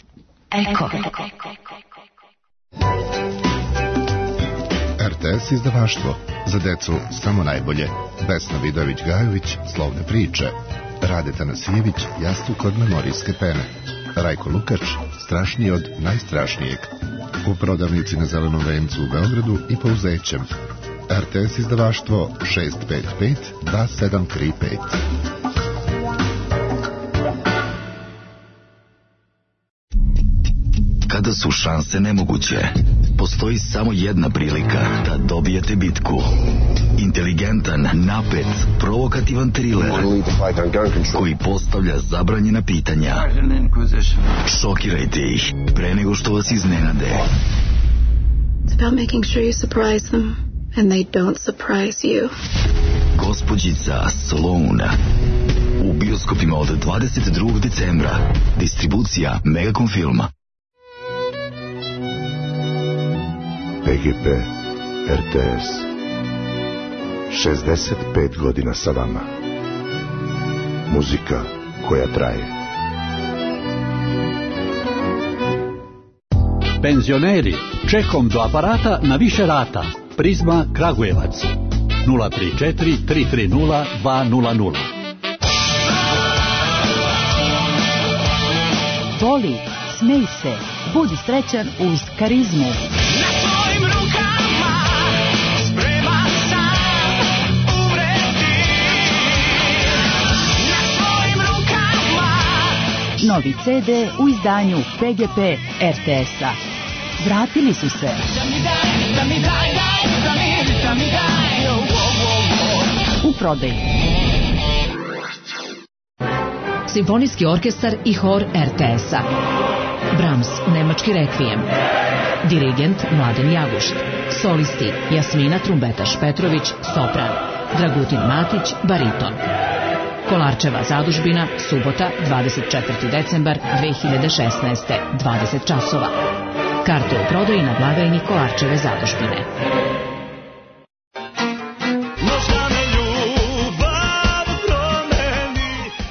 Eko. R T S izdavaštvo, za decu samo najbolje. Vesna Vidović-Gajović, Slovne priče. Rade Tanasijević, Jastuk od memorijske pene. Rajko Lukač, Strašniji od najstrašnijeg. U prodavnici na Zelenom vencu u Beogradu i po Uzećem. R T S izdavaštvo šest pet pet dva sedam tri pet. Kada su šanse nemoguće, postoji samo jedna prilika da dobijete bitku. Inteligentan, napet, provokativan triler koji postavlja zabranjena pitanja. Šokirajte ih pre nego što vas iznenade. It's about making sure you surprise them and they don't surprise you. Gospođica Sloane. U bioskopima od dvadeset drugog decembra. Distribucija Megacom Filma. P G P, R T S, šezdeset pet godina sa vama. Muzika koja traje. Penzioneri, čekom do aparata na više rata. Prizma Kragujevac, nula tri četiri tri tri nula dva nula nula. Boli, smej se, budi srećan uz Karizmu. Na svojim rukama spreman sam umreti. Na svojim rukama. Novi ce de u izdanju P G P R T S-a. Vratili su se. U prodaji. Simfonijski orkestar i hor R T S-a. Brahms, nemački rekvijem. Dirigent Mladen Jagušt. Solisti Jasmina Trumbetaš Petrović, sopran. Dragutin Matić, bariton. Kolarčeva zadužbina, subota, dvadeset četvrti decembar dve hiljade šesnaeste, dvadeset časova. Karte u prodaji na blagajni Kolarčeve zadužbine.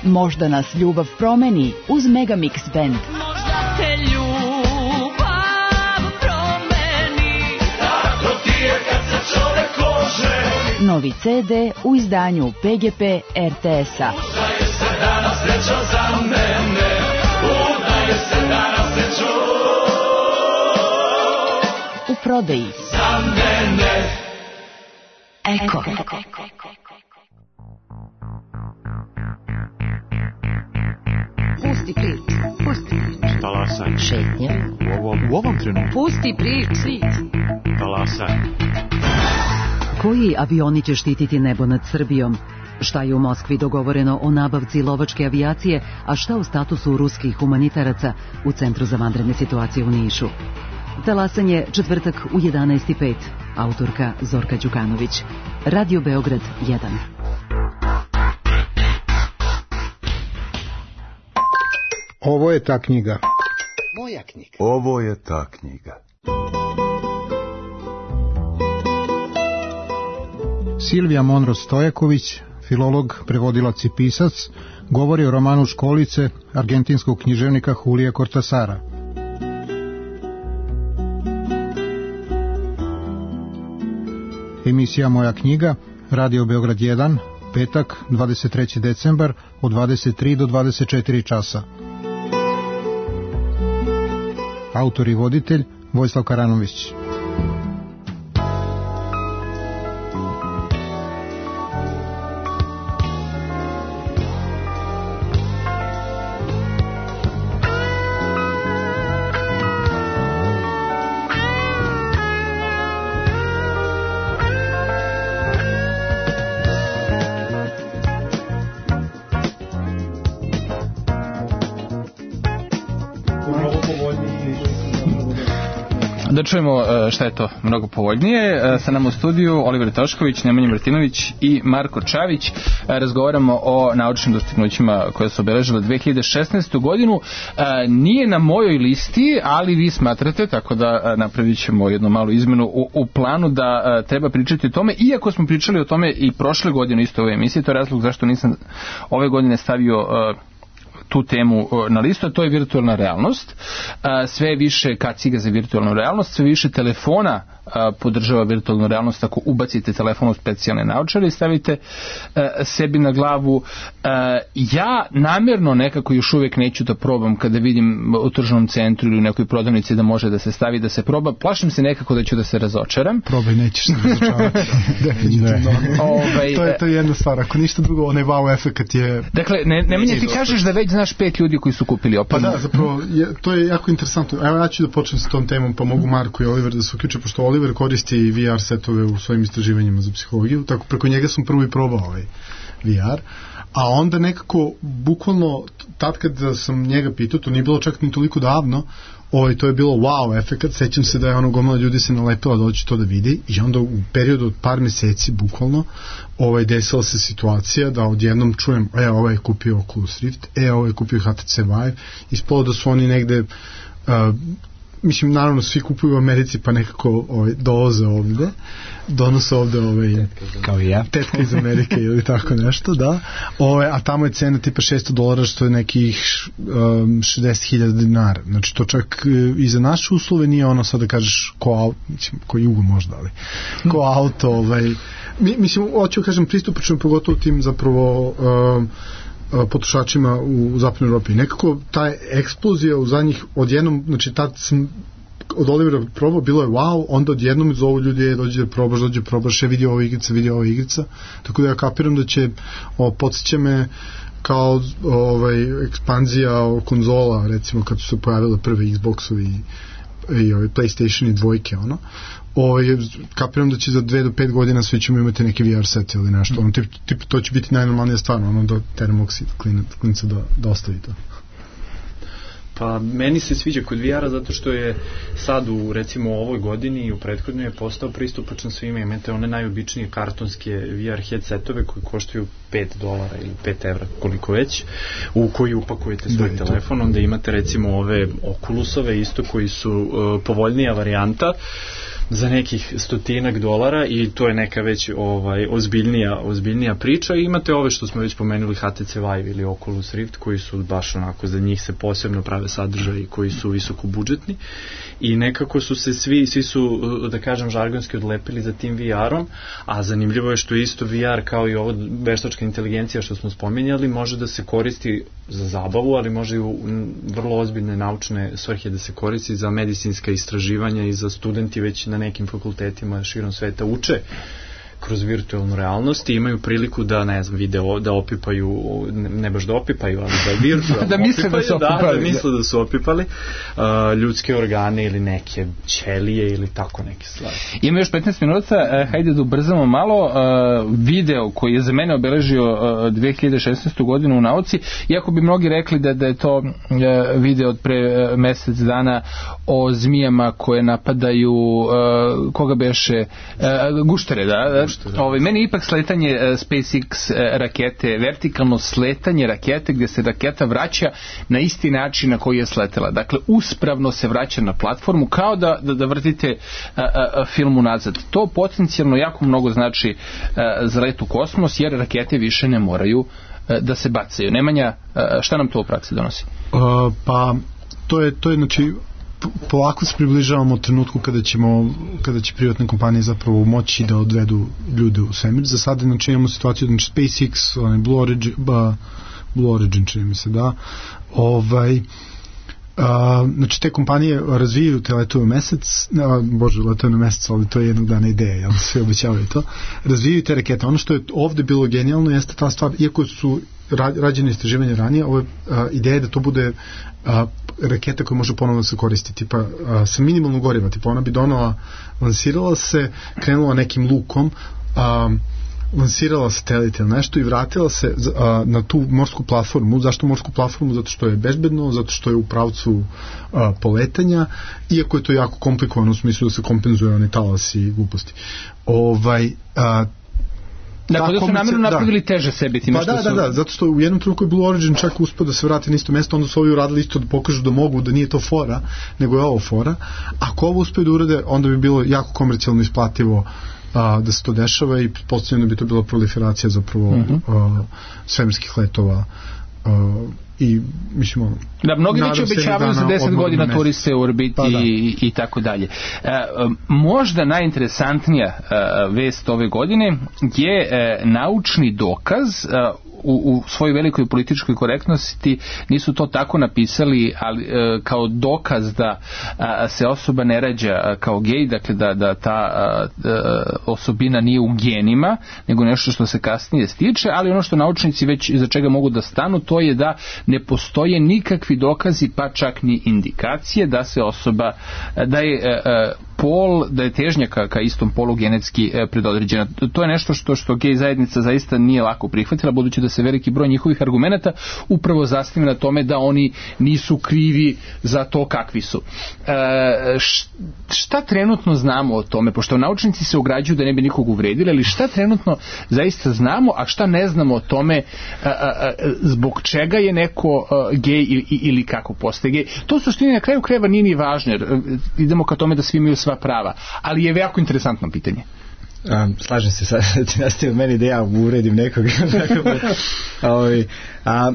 Možda nas ljubav promeni uz Megamix Band. Možda te ljubav promeni. Tako ti je kad se čovek oženi. Novi ce de u izdanju P G P R T S-a. Udaje se danas sreća za mene. Udaje se danas sreću. U prodaji. Za mene. Eko. Pusti prič, pusti prič. Talasaj. Šetnja. U ovom, u ovom trenutku. Pusti prič. Talasaj. Koji avioni će štititi nebo nad Srbijom? Šta je u Moskvi dogovoreno o nabavci lovačke avijacije, a šta u statusu ruskih humanitaraca u Centru za vanredne situacije u Nišu? Talasanje četvrtak u jedanaest i pet. Autorka Zorka Đukanović. Radio Beograd jedan. Ovo je ta knjiga. Moja knjiga. Ovo je ta knjiga. Silvija Monro Stojaković, filolog, prevodilac i pisac, govori o romanu Školice argentinskog književnika Julija Cortasara. Emisija Moja knjiga, Radio Beograd jedan, petak, dvadeset treći decembar, od dvadeset tri do dvadeset četiri časa. Autor i voditelj Vojislav Karanović. Da čujemo šta je to mnogo povoljnije. Sa nama u studiju Oliver Tošković, Nemanja Martinović i Marko Čavić. Razgovaramo o naučnim dostignućima koje su obeležile dve hiljade šesnaestu godinu. Nije na mojoj listi, ali vi smatrate, tako da napravit ćemo jednu malu izmenu u, u planu da treba pričati o tome. Iako smo pričali o tome i prošle godine isto u ovoj emisiji, to je razlog zašto nisam ove godine stavio tu temu na listu, a to je virtualna realnost. Sve više kaciga za virtualnu realnost, sve više telefona podržava virtualnu realnost. Ako ubacite telefon u specijalne naočare i stavite sebi na glavu. Ja namjerno nekako još uvijek neću da probam kada vidim u tržnom centru ili u nekoj prodavnici da može da se stavi, da se proba. Plašim se nekako da ću da se razočaram. Probaj, nećeš se razočarati. Definitivno. Ovaj, to, je, to je jedna stvar. Ako ništa drugo, onaj wow efekt je... Dakle, ne, Nemanja, ti kažeš da već znaš pet ljudi koji su kupili opremu. Pa da, zapravo, je, to je jako interesantno. Evo ja ću da počnem sa tom temom, pa mogu Marko i Oliver da se uključe, pošto Oliver koristi V R setove u svojim istraživanjima za psihologiju, tako preko njega sam prvo i probao ovaj V R, a onda nekako, bukvalno, tad kad sam njega pitao, to nije bilo čak ni toliko davno, ovaj, to je bilo wow efekat, sećam se da je ono gomila ljudi se nalepila da hoće to da vidi i onda u periodu od par meseci, bukvalno, ovaj, desila se situacija da odjednom čujem, e, ovaj je kupio Oculus Rift, e, ovaj je kupio H T C Vive, ispalo da su oni negde... Uh, mislim, naravno, svi kupuju u Americi, pa nekako ovaj, dolaze ovde, donose ovde ovaj, kao i ja. Tetka iz Amerike ili tako nešto, da. Ovaj, a tamo je cena tipa šesto dolara, što je nekih um, šezdeset hiljada dinara. Znači, to čak i za naše uslove nije ono sad da kažeš ko auto, mislim, ko jugo možda, ali ko auto, ovaj, mi, mislim, hoću kažem, pristupačno pogotovo tim zapravo um, potrošačima u zapadnoj Evropi. Nekako ta eksplozija u zadnjih odjednom, znači tad sam od Olivera probao, bilo je wow, onda odjednom zovu ljudi, dođe da probaš, dođe da probaš, je vidio ovo igrica, vidio ovo igrica, tako da ja kapiram da će, o, podsjeća me kao ovaj, ekspanzija konzola, recimo kad su se pojavile prve Xboxovi i, i ovaj, PlayStation i dvojke, ono, o, je, kapiram da će za dve do pet godina svi ćemo imati neki V R set ili nešto, ono, tip, tip, to će biti najnormalnija stvar, ono, da termoksid klinca da, da ostavi to. Pa meni se sviđa kod V R-a zato što je sad u recimo ovoj godini i u prethodnoj je postao pristupačan svima. Imate one najobičnije kartonske V R headsetove koji koštaju pet dolara ili pet evra, koliko već, u koji upakujete svoj da, telefon. Onda imate recimo ove Oculusove isto koji su uh, povoljnija varijanta za nekih stotinak dolara i to je neka već ovaj ozbiljnija ozbiljnija priča. I imate ove što smo već pomenuli H T C Vive ili Oculus Rift koji su baš onako, za njih se posebno prave sadržaji koji su visoko budžetni i nekako su se svi svi su, da kažem, žargonski odlepili za tim V R-om, a zanimljivo je što isto V R kao i ovo veštačka inteligencija što smo spominjali može da se koristi za zabavu, ali može i u vrlo ozbiljne naučne svrhe da se koristi za medicinska istraživanja i za studenti već na nekim fakultetima širom sveta uče kroz virtualnu realnost i imaju priliku da, ne znam, video, da opipaju, ne baš da opipaju, ali da virtualno da misle da su opipali. Da, da misle da su opipali uh, ljudske organe ili neke ćelije ili tako neke stvari. Ima još petnaest minuta, uh, hajde da ubrzamo malo. Uh, video koji je za mene obeležio uh, dve hiljade šesnaestu godinu u nauci, iako bi mnogi rekli da, da je to uh, video od pre uh, mesec dana o zmijama koje napadaju uh, koga beše uh, guštere, da? Ovaj, meni ipak sletanje uh, SpaceX uh, rakete, vertikalno sletanje rakete gdje se raketa vraća na isti način na koji je sletela. Dakle, uspravno se vraća na platformu kao da, da, da vrtite uh, uh, film unazad. To potencijalno jako mnogo znači uh, za let u kosmos, jer rakete više ne moraju uh, da se bacaju. Nemanja, uh, šta nam to u praksi donosi? Uh, pa, to je, to je znači polako se približavamo trenutku kada ćemo, kada će privatne kompanije zapravo moći da odvedu ljude u svemir. Za sada znači imamo situaciju, znači SpaceX, onaj Blue Origin, ba, Blue Origin čini mi se, da, ovaj, a, znači te kompanije razvijaju te letove u mesec, a, bože, letove na mesec, ali to je jednog dana ideja, jel, sve obećavaju to, razvijaju te rakete. Ono što je ovde bilo genijalno jeste ta stvar, iako su rađene istraživanja ranije, ovo je a, ideja da to bude a, raketa koja može ponovno se koristiti, pa a, sa minimalno goriva, tipa ona bi donala, lansirala se, krenula nekim lukom, a, lansirala satelite ili nešto i vratila se a, na tu morsku platformu. Zašto morsku platformu? Zato što je bezbedno, zato što je u pravcu a, poletanja, iako je to jako komplikovano u smislu da se kompenzuje oni talasi i gluposti. Ovaj, a, Dakle, da su namjerno napravili da. teže sebi time pa što da, su... da, da, zato što u jednom trenutku je Blue Origin čak uspio da se vrati na isto mesto, onda su ovi uradili isto da pokažu da mogu, da nije to fora, nego je ovo fora. Ako ovo uspio da urade, onda bi bilo jako komercijalno isplativo a, da se to dešava i pretpostavljeno bi to bila proliferacija zapravo mm-hmm. a, svemirskih letova a, i mislim ono, da, mnogi već obećavaju za deset godina turiste u orbiti pa, i, i tako dalje. E, možda najinteresantnija e, vest ove godine je e, naučni dokaz, e, u, u svojoj velikoj političkoj korektnosti nisu to tako napisali, ali e, kao dokaz da a, se osoba ne rađa a, kao gej, dakle da, da ta a, a, osobina nije u genima, nego nešto što se kasnije stiče, ali ono što naučnici već iza čega mogu da stanu, to je da ne postoje nikakvi dokazi, pa čak ni indikacije da se osoba, da je a, pol, da je težnja ka, ka istom polu genetski e, predodređena. To je nešto što što gej zajednica zaista nije lako prihvatila, budući da se veliki broj njihovih argumenata upravo zasniva na tome da oni nisu krivi za to kakvi su. E, šta trenutno znamo o tome, pošto naučnici se ograđuju da ne bi nikog uvredili, ali šta trenutno zaista znamo, a šta ne znamo o tome a, a, zbog čega je neko a, gej ili, ili kako postaje gej. To suštini na kraju krajeva nije ni važno, jer idemo ka tome da svi imaju sva prava, ali je jako interesantno pitanje. A, slažem se sad, nastavio meni da ja uredim nekoga. a, a,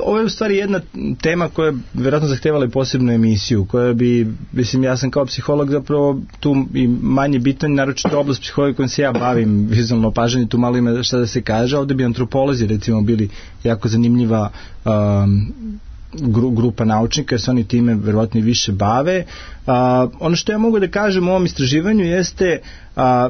ovo je u stvari jedna tema koja vjerojatno zahtevala i posebnu emisiju, koja bi, mislim, ja sam kao psiholog zapravo tu i manje bitan, naročito oblast psihologije kojom se ja bavim, vizualno opažanje, tu malo ima šta da se kaže, ovdje bi antropolozi recimo bili jako zanimljiva um, grupa naučnika, jer se oni time verovatno i više bave. A, ono što ja mogu da kažem u ovom istraživanju jeste, a,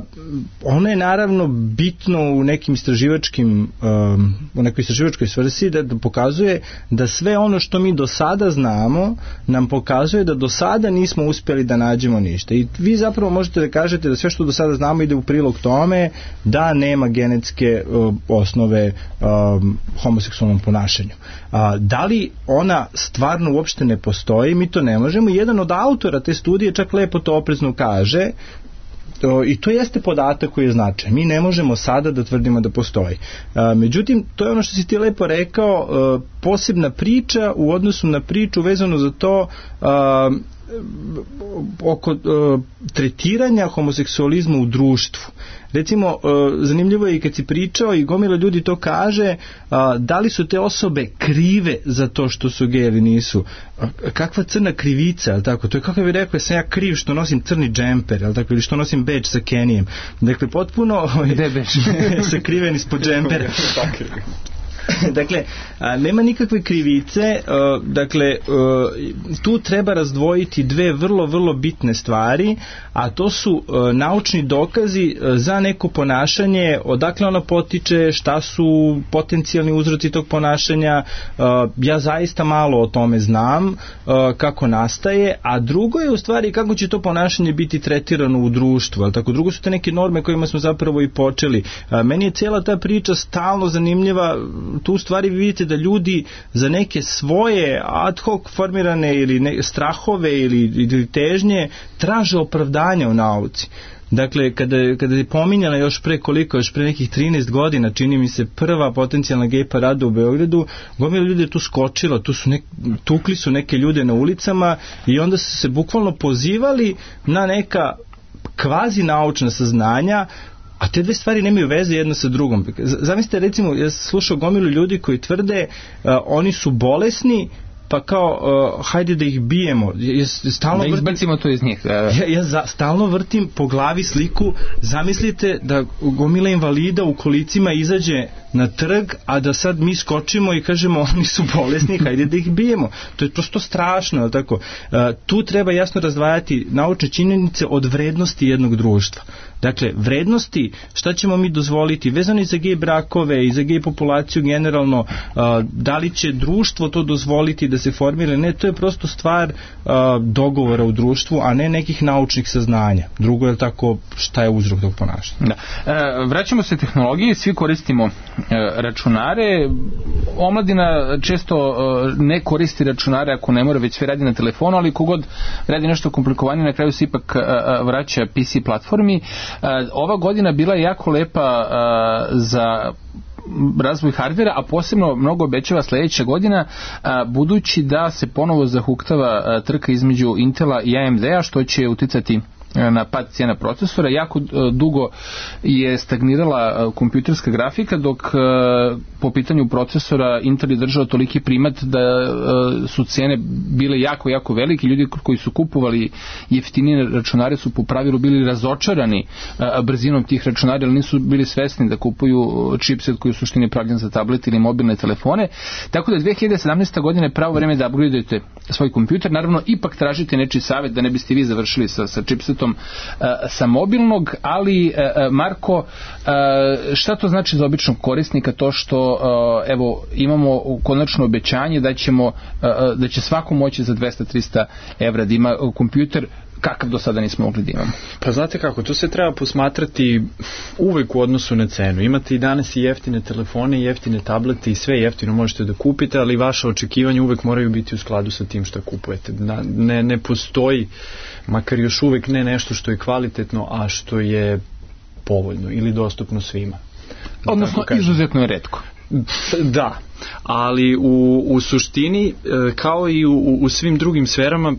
ono je naravno bitno u nekim istraživačkim um, u nekoj istraživačkoj svrsi da, da pokazuje da sve ono što mi do sada znamo nam pokazuje da do sada nismo uspjeli da nađemo ništa. I vi zapravo možete da kažete da sve što do sada znamo ide u prilog tome da nema genetske uh, osnove um, homoseksualnom ponašanju. A, da li ona stvarno uopšte ne postoji, mi to ne možemo. Jedan od autora te studije čak lepo to oprezno kaže, i to jeste podatak koji je značajan. Mi ne možemo sada da tvrdimo da postoji. Međutim, to je ono što si ti lepo rekao, posebna priča u odnosu na priču vezano za to oko tretiranja homoseksualizma u društvu. Recimo, zanimljivo je i kad si pričao i gomila ljudi to kaže, da li su te osobe krive za to što su gej ili nisu. Kakva crna krivica, ali tako? To je kako bi rekao, sam ja kriv što nosim crni džemper, ali tako, ili što nosim bedž sa Kenijem. Dakle, potpuno sakriven ispod džempera. Dakle, a, nema nikakve krivice, a, dakle, a, tu treba razdvojiti dve vrlo, vrlo bitne stvari, a to su a, naučni dokazi a, za neko ponašanje, odakle ono potiče, šta su potencijalni uzroci tog ponašanja. A, ja zaista malo o tome znam, a, kako nastaje, a drugo je u stvari kako će to ponašanje biti tretirano u društvu, ali tako, drugo su te neke norme kojima smo zapravo i počeli. A, meni je cijela ta priča stalno zanimljiva. Tu u stvari vi vidite da ljudi za neke svoje ad hoc formirane ili ne, strahove ili, ili težnje traže opravdanja u nauci. Dakle, kada, kada je pominjala još pre koliko, još pre nekih trinaest godina, čini mi se, prva potencijalna gej parada u Beogradu, gomila ljudi je tu skočila, tu su nek, tukli su neke ljude na ulicama i onda su se bukvalno pozivali na neka kvazi naučna saznanja, a te dve stvari nemaju veze jedna sa drugom. Zamislite, recimo, ja sam slušao gomilu ljudi koji tvrde uh, oni su bolesni, pa kao, uh, hajde da ih bijemo. Ja, stalno da izbacimo to iz njih. Ja, ja za, stalno vrtim po glavi sliku, zamislite da gomila invalida u kolicima izađe na trg, a da sad mi skočimo i kažemo oni su bolesni, hajde da ih bijemo. To je prosto strašno, ali tako. Uh, tu treba jasno razdvajati naučne činjenice od vrednosti jednog društva. Dakle, vrednosti, šta ćemo mi dozvoliti, vezano i za gej brakove i za gej populaciju generalno, uh, da li će društvo to dozvoliti da se formira, ne, to je prosto stvar uh, dogovora u društvu, a ne nekih naučnih saznanja. Drugo je tako, šta je uzrok tog ponašanja. Da. E, vraćamo se tehnologiji, svi koristimo e, računare. Omladina često e, ne koristi računare ako ne mora, već sve radi na telefonu, ali kogod radi nešto komplikovanije, na kraju se ipak e, vraća P C platformi. E, ova godina bila je jako lepa e, za razvoj hardvera, a posebno mnogo obećava sljedeća godina, a, budući da se ponovo zahuktava a, trka između Intela i A M D-a, što će uticati na pad cijena procesora. Jako dugo je stagnirala kompjuterska grafika, dok po pitanju procesora Intel je držao toliki primat da su cijene bile jako, jako velike. Ljudi koji su kupovali jeftinije računare su po pravilu bili razočarani brzinom tih računara, ali nisu bili svesni da kupuju chipset koji u suštini pravljen za tablet ili mobilne telefone. Tako da dve hiljade sedamnaeste. godine je pravo vreme da upgradeujete svoj kompjuter. Naravno, ipak tražite nečiji savjet da ne biste vi završili sa, sa chipsetom sa mobilnog, ali Marko, šta to znači za običnog korisnika, to što evo imamo konačno obećanje da ćemo da će svako moći za dvesta do trista evra da ima kompjuter kakav do sada nismo mogli da imamo? Pa znate kako, to se treba posmatrati uvek u odnosu na cenu. Imate i danas i jeftine telefone, i jeftine tablete i sve jeftino možete da kupite, ali vaše očekivanja uvek moraju biti u skladu sa tim što kupujete. Ne, ne postoji, makar još uvek ne nešto što je kvalitetno, a što je povoljno ili dostupno svima. Odnosno, izuzetno je retko. Da, ali u, u suštini kao i u, u svim drugim sferama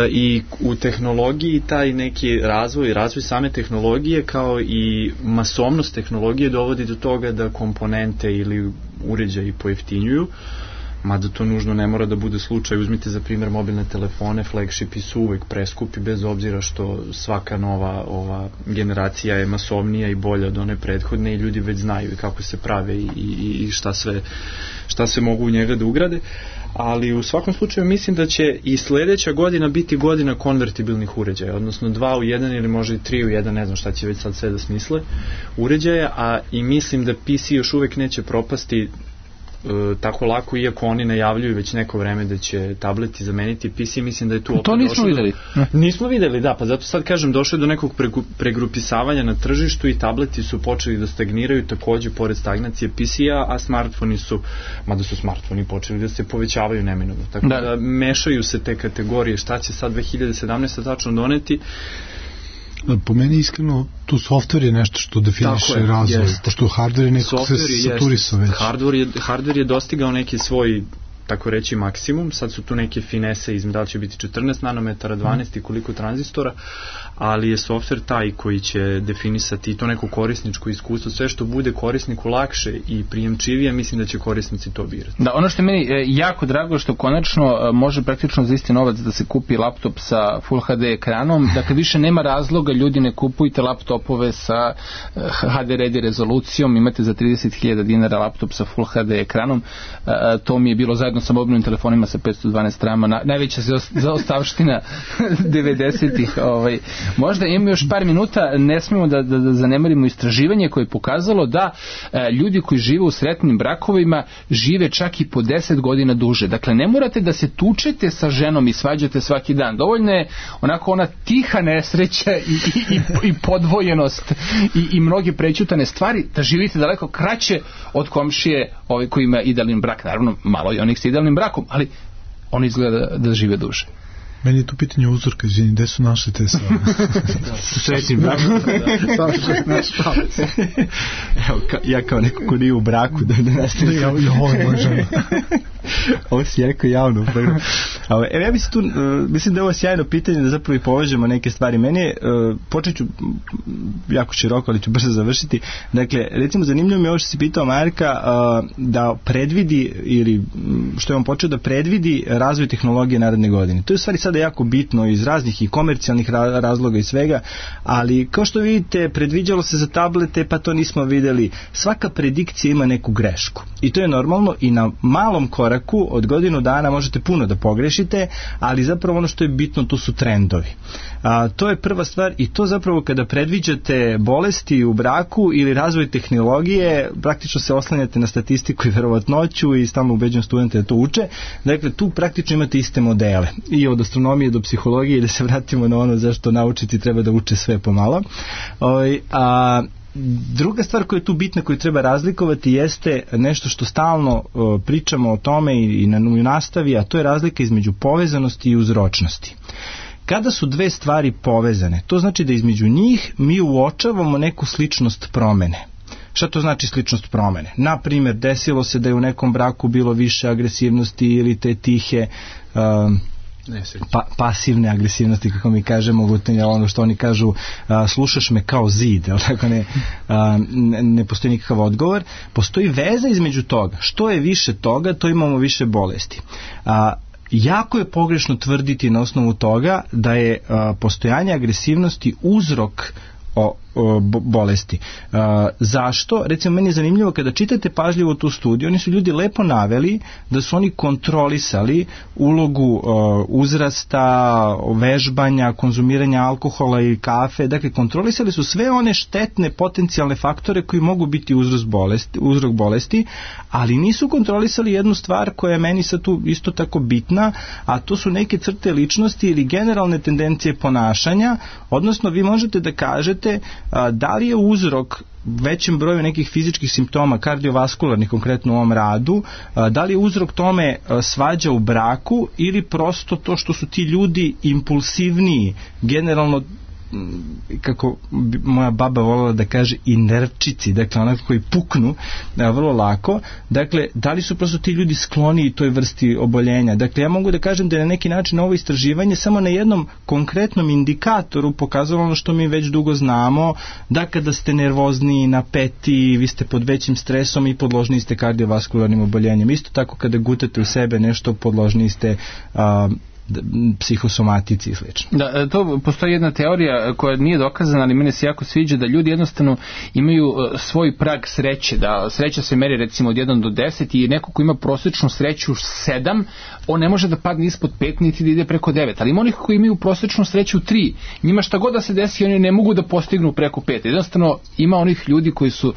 i u tehnologiji taj neki razvoj, razvoj same tehnologije kao i masovnost tehnologije dovodi do toga da komponente ili uređaji pojeftinjuju, mada to nužno ne mora da bude slučaj. Uzmite za primjer mobilne telefone, flagshipi su uvek preskupi bez obzira što svaka nova ova generacija je masovnija i bolja od one prethodne i ljudi već znaju kako se prave i, i, i šta sve šta sve mogu u njega da ugrade, ali u svakom slučaju mislim da će i sledeća godina biti godina konvertibilnih uređaja, odnosno dva u jedan ili možda i tri u jedan, ne znam šta će već sad sve da smisle uređaja, a i mislim da P C još uvek neće propasti E, tako lako, iako oni najavljuju već neko vreme da će tableti zameniti P C, mislim da je tu opet to nismo videli. Do... nismo videli, da, pa zato sad kažem, došlo je do nekog pregrupisavanja na tržištu i tableti su počeli da stagniraju takođe pored stagnacije P C-a, a smartfoni su, mada su smartfoni počeli da se povećavaju neminovno, tako da, da mešaju se te kategorije, šta će sad dve hiljade sedamnaeste tačno doneti. Po meni iskreno tu softver je nešto što definiše je, razvoj, jest. Pošto hardware je nekako se saturisao već. Hardware je, hardware je dostigao neki svoj, tako reći, maksimum, sad su tu neke finese izme, da li će biti četrnaest nanometara, dvanaest i koliko tranzistora, ali je softver taj koji će definisati to neko korisničko iskustvo, sve što bude korisniku lakše i prijemčivije, mislim da će korisnici to birati. Da, ono što je meni jako drago što konačno može praktično za isti novac da se kupi laptop sa Full H D ekranom, dakle više nema razloga, ljudi ne kupujte laptopove sa H D ready rezolucijom, imate za trideset hiljada dinara laptop sa Full H D ekranom, to mi je bilo zajedno sa mobilnim telefonima sa petsto dvanaest rama, na, najveća zaostavština devedesetih. Ovaj. Možda imamo još par minuta, ne smijemo da, da, da zanemarimo istraživanje koje je pokazalo da e, ljudi koji žive u sretnim brakovima žive čak i po deset godina duže. Dakle, ne morate da se tučete sa ženom i svađate svaki dan. Dovoljno je onako ona tiha nesreća i, i, i, i podvojenost i, i mnoge prećutane stvari da živite daleko kraće od komšije ovaj, koji ima idealni brak. Naravno, malo je onih sa idealnim brakom, ali oni izgleda da, da žive duže. Meni je tu pitanje uzorka, izvini, gde su našli te stvari? Su srećnim brakom. Evo, ka, ja kao neko ko nije u braku, da ne nastavim. Ja, ja volim moju ženu. Ovo si jako javno. Evo, ja mislim, tu, uh, mislim da je ovo sjajno pitanje da zapravo i povežemo neke stvari. Meni je, uh, počet ću jako široko, ali ću brzo završiti. Dakle, recimo, zanimljivo mi je ovo što si pitao Marka, uh, da predvidi, ili što je on počeo da predvidi razvoj tehnologije naredne godine. To je u stvari sada jako bitno iz raznih i komercijalnih razloga i svega, ali kao što vidite, predviđalo se za tablete, pa to nismo videli. Svaka predikcija ima neku grešku. I to je normalno i na malom koraku od godinu dana možete puno da pogrešite, ali zapravo ono što je bitno, to su trendovi. A, to je prva stvar i to zapravo kada predviđate bolesti u braku ili razvoj tehnologije, praktično se oslanjate na statistiku i verovatnoću i stalno ubeđujem studente da to uče. Dakle, tu praktično imate iste modele. I od astronomije do psihologije, i da se vratimo na ono zašto naučiti treba da uče sve pomalo. O, a druga stvar koja je tu bitna, koju treba razlikovati, jeste nešto što stalno uh, pričamo o tome i, i na u nastavi, a to je razlika između povezanosti i uzročnosti. Kada su dve stvari povezane, to znači da između njih mi uočavamo neku sličnost promene. Šta to znači sličnost promene? Na primjer, desilo se da je u nekom braku bilo više agresivnosti ili te tihe um, Pa, pasivne agresivnosti, kako mi kažemo, ono što oni kažu, a, slušaš me kao zid, ali tako ne, a, ne postoji nikakav odgovor. Postoji veza između toga. Što je više toga, to imamo više bolesti. A, jako je pogrešno tvrditi na osnovu toga da je a, postojanje agresivnosti uzrok o, o bolesti. Uh, zašto? Recimo, meni je zanimljivo kada čitate pažljivo tu studiju, oni su ljudi lepo naveli da su oni kontrolisali ulogu uh, uzrasta, vežbanja, konzumiranja alkohola i kafe, dakle kontrolisali su sve one štetne potencijalne faktore koji mogu biti uzrok bolesti, uzrok bolesti, ali nisu kontrolisali jednu stvar koja je meni sad tu isto tako bitna, a to su neke crte ličnosti ili generalne tendencije ponašanja, odnosno vi možete da kažete a, da li je uzrok većem broju nekih fizičkih simptoma kardiovaskularnih, konkretno u ovom radu, a, da li je uzrok tome a, svađa u braku ili prosto to što su ti ljudi impulsivniji, generalno kako bi moja baba voljela da kaže, inerčici, dakle onako koji puknu a, vrlo lako. Dakle, da li su prosto ti ljudi skloni toj vrsti oboljenja? Dakle, ja mogu da kažem da je na neki način ovo istraživanje samo na jednom konkretnom indikatoru pokazalo ono što mi već dugo znamo, da kada ste nervozni, napeti, vi ste pod većim stresom i podložni ste kardiovaskularnim oboljenjem. Isto tako kada gutate u sebe nešto, podložni ste a, psihosomatici i slično. Da, to postoji jedna teorija koja nije dokazana, ali mene se jako sviđa, da ljudi jednostavno imaju svoj prag sreće, da sreća se meri recimo od jedan do deset i neko ko ima prosječnu sreću sedam, on ne može da padne ispod pet niti da ide preko devet, ali ima onih koji imaju prosječnu sreću tri, njima šta god da se desi oni ne mogu da postignu preko pet. Jednostavno ima onih ljudi koji su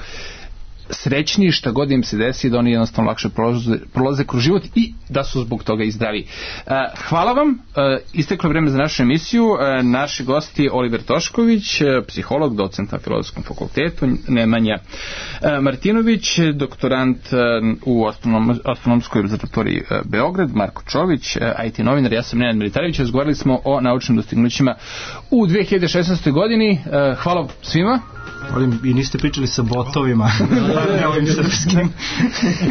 srećni šta god im se desi, da oni jednostavno lakše prolaze, prolaze kroz život i da su zbog toga i zdravi. Hvala vam, isteklo vreme za našu emisiju. Naši gosti Oliver Tošković, psiholog, docent na Filozofskom fakultetu, Nemanja Martinović, doktorant u astronom, astronomskoj observatoriji Beograd, Marko Čović, I T novinar, ja sam Nenad Militarević. Razgovarali smo o naučnim dostignućima u dve hiljade šesnaestoj. godini. Hvala svima. I niste pričali sa botovima. Ovim srpskim.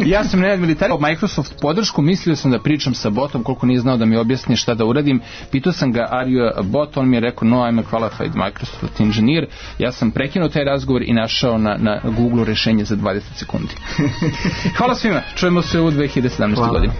Ja sam Nenad Militarević. Microsoft podršku, mislio sam da pričam sa botom, koliko nije znao da mi objasni šta da uradim. Pitao sam ga, are you a bot? On mi je rekao, no, I'm a qualified Microsoft engineer. Ja sam prekinuo taj razgovor i našao na, na Google rešenje za dvadeset sekundi. Hvala svima. Čujemo se u dve hiljade sedamnaestoj. godini.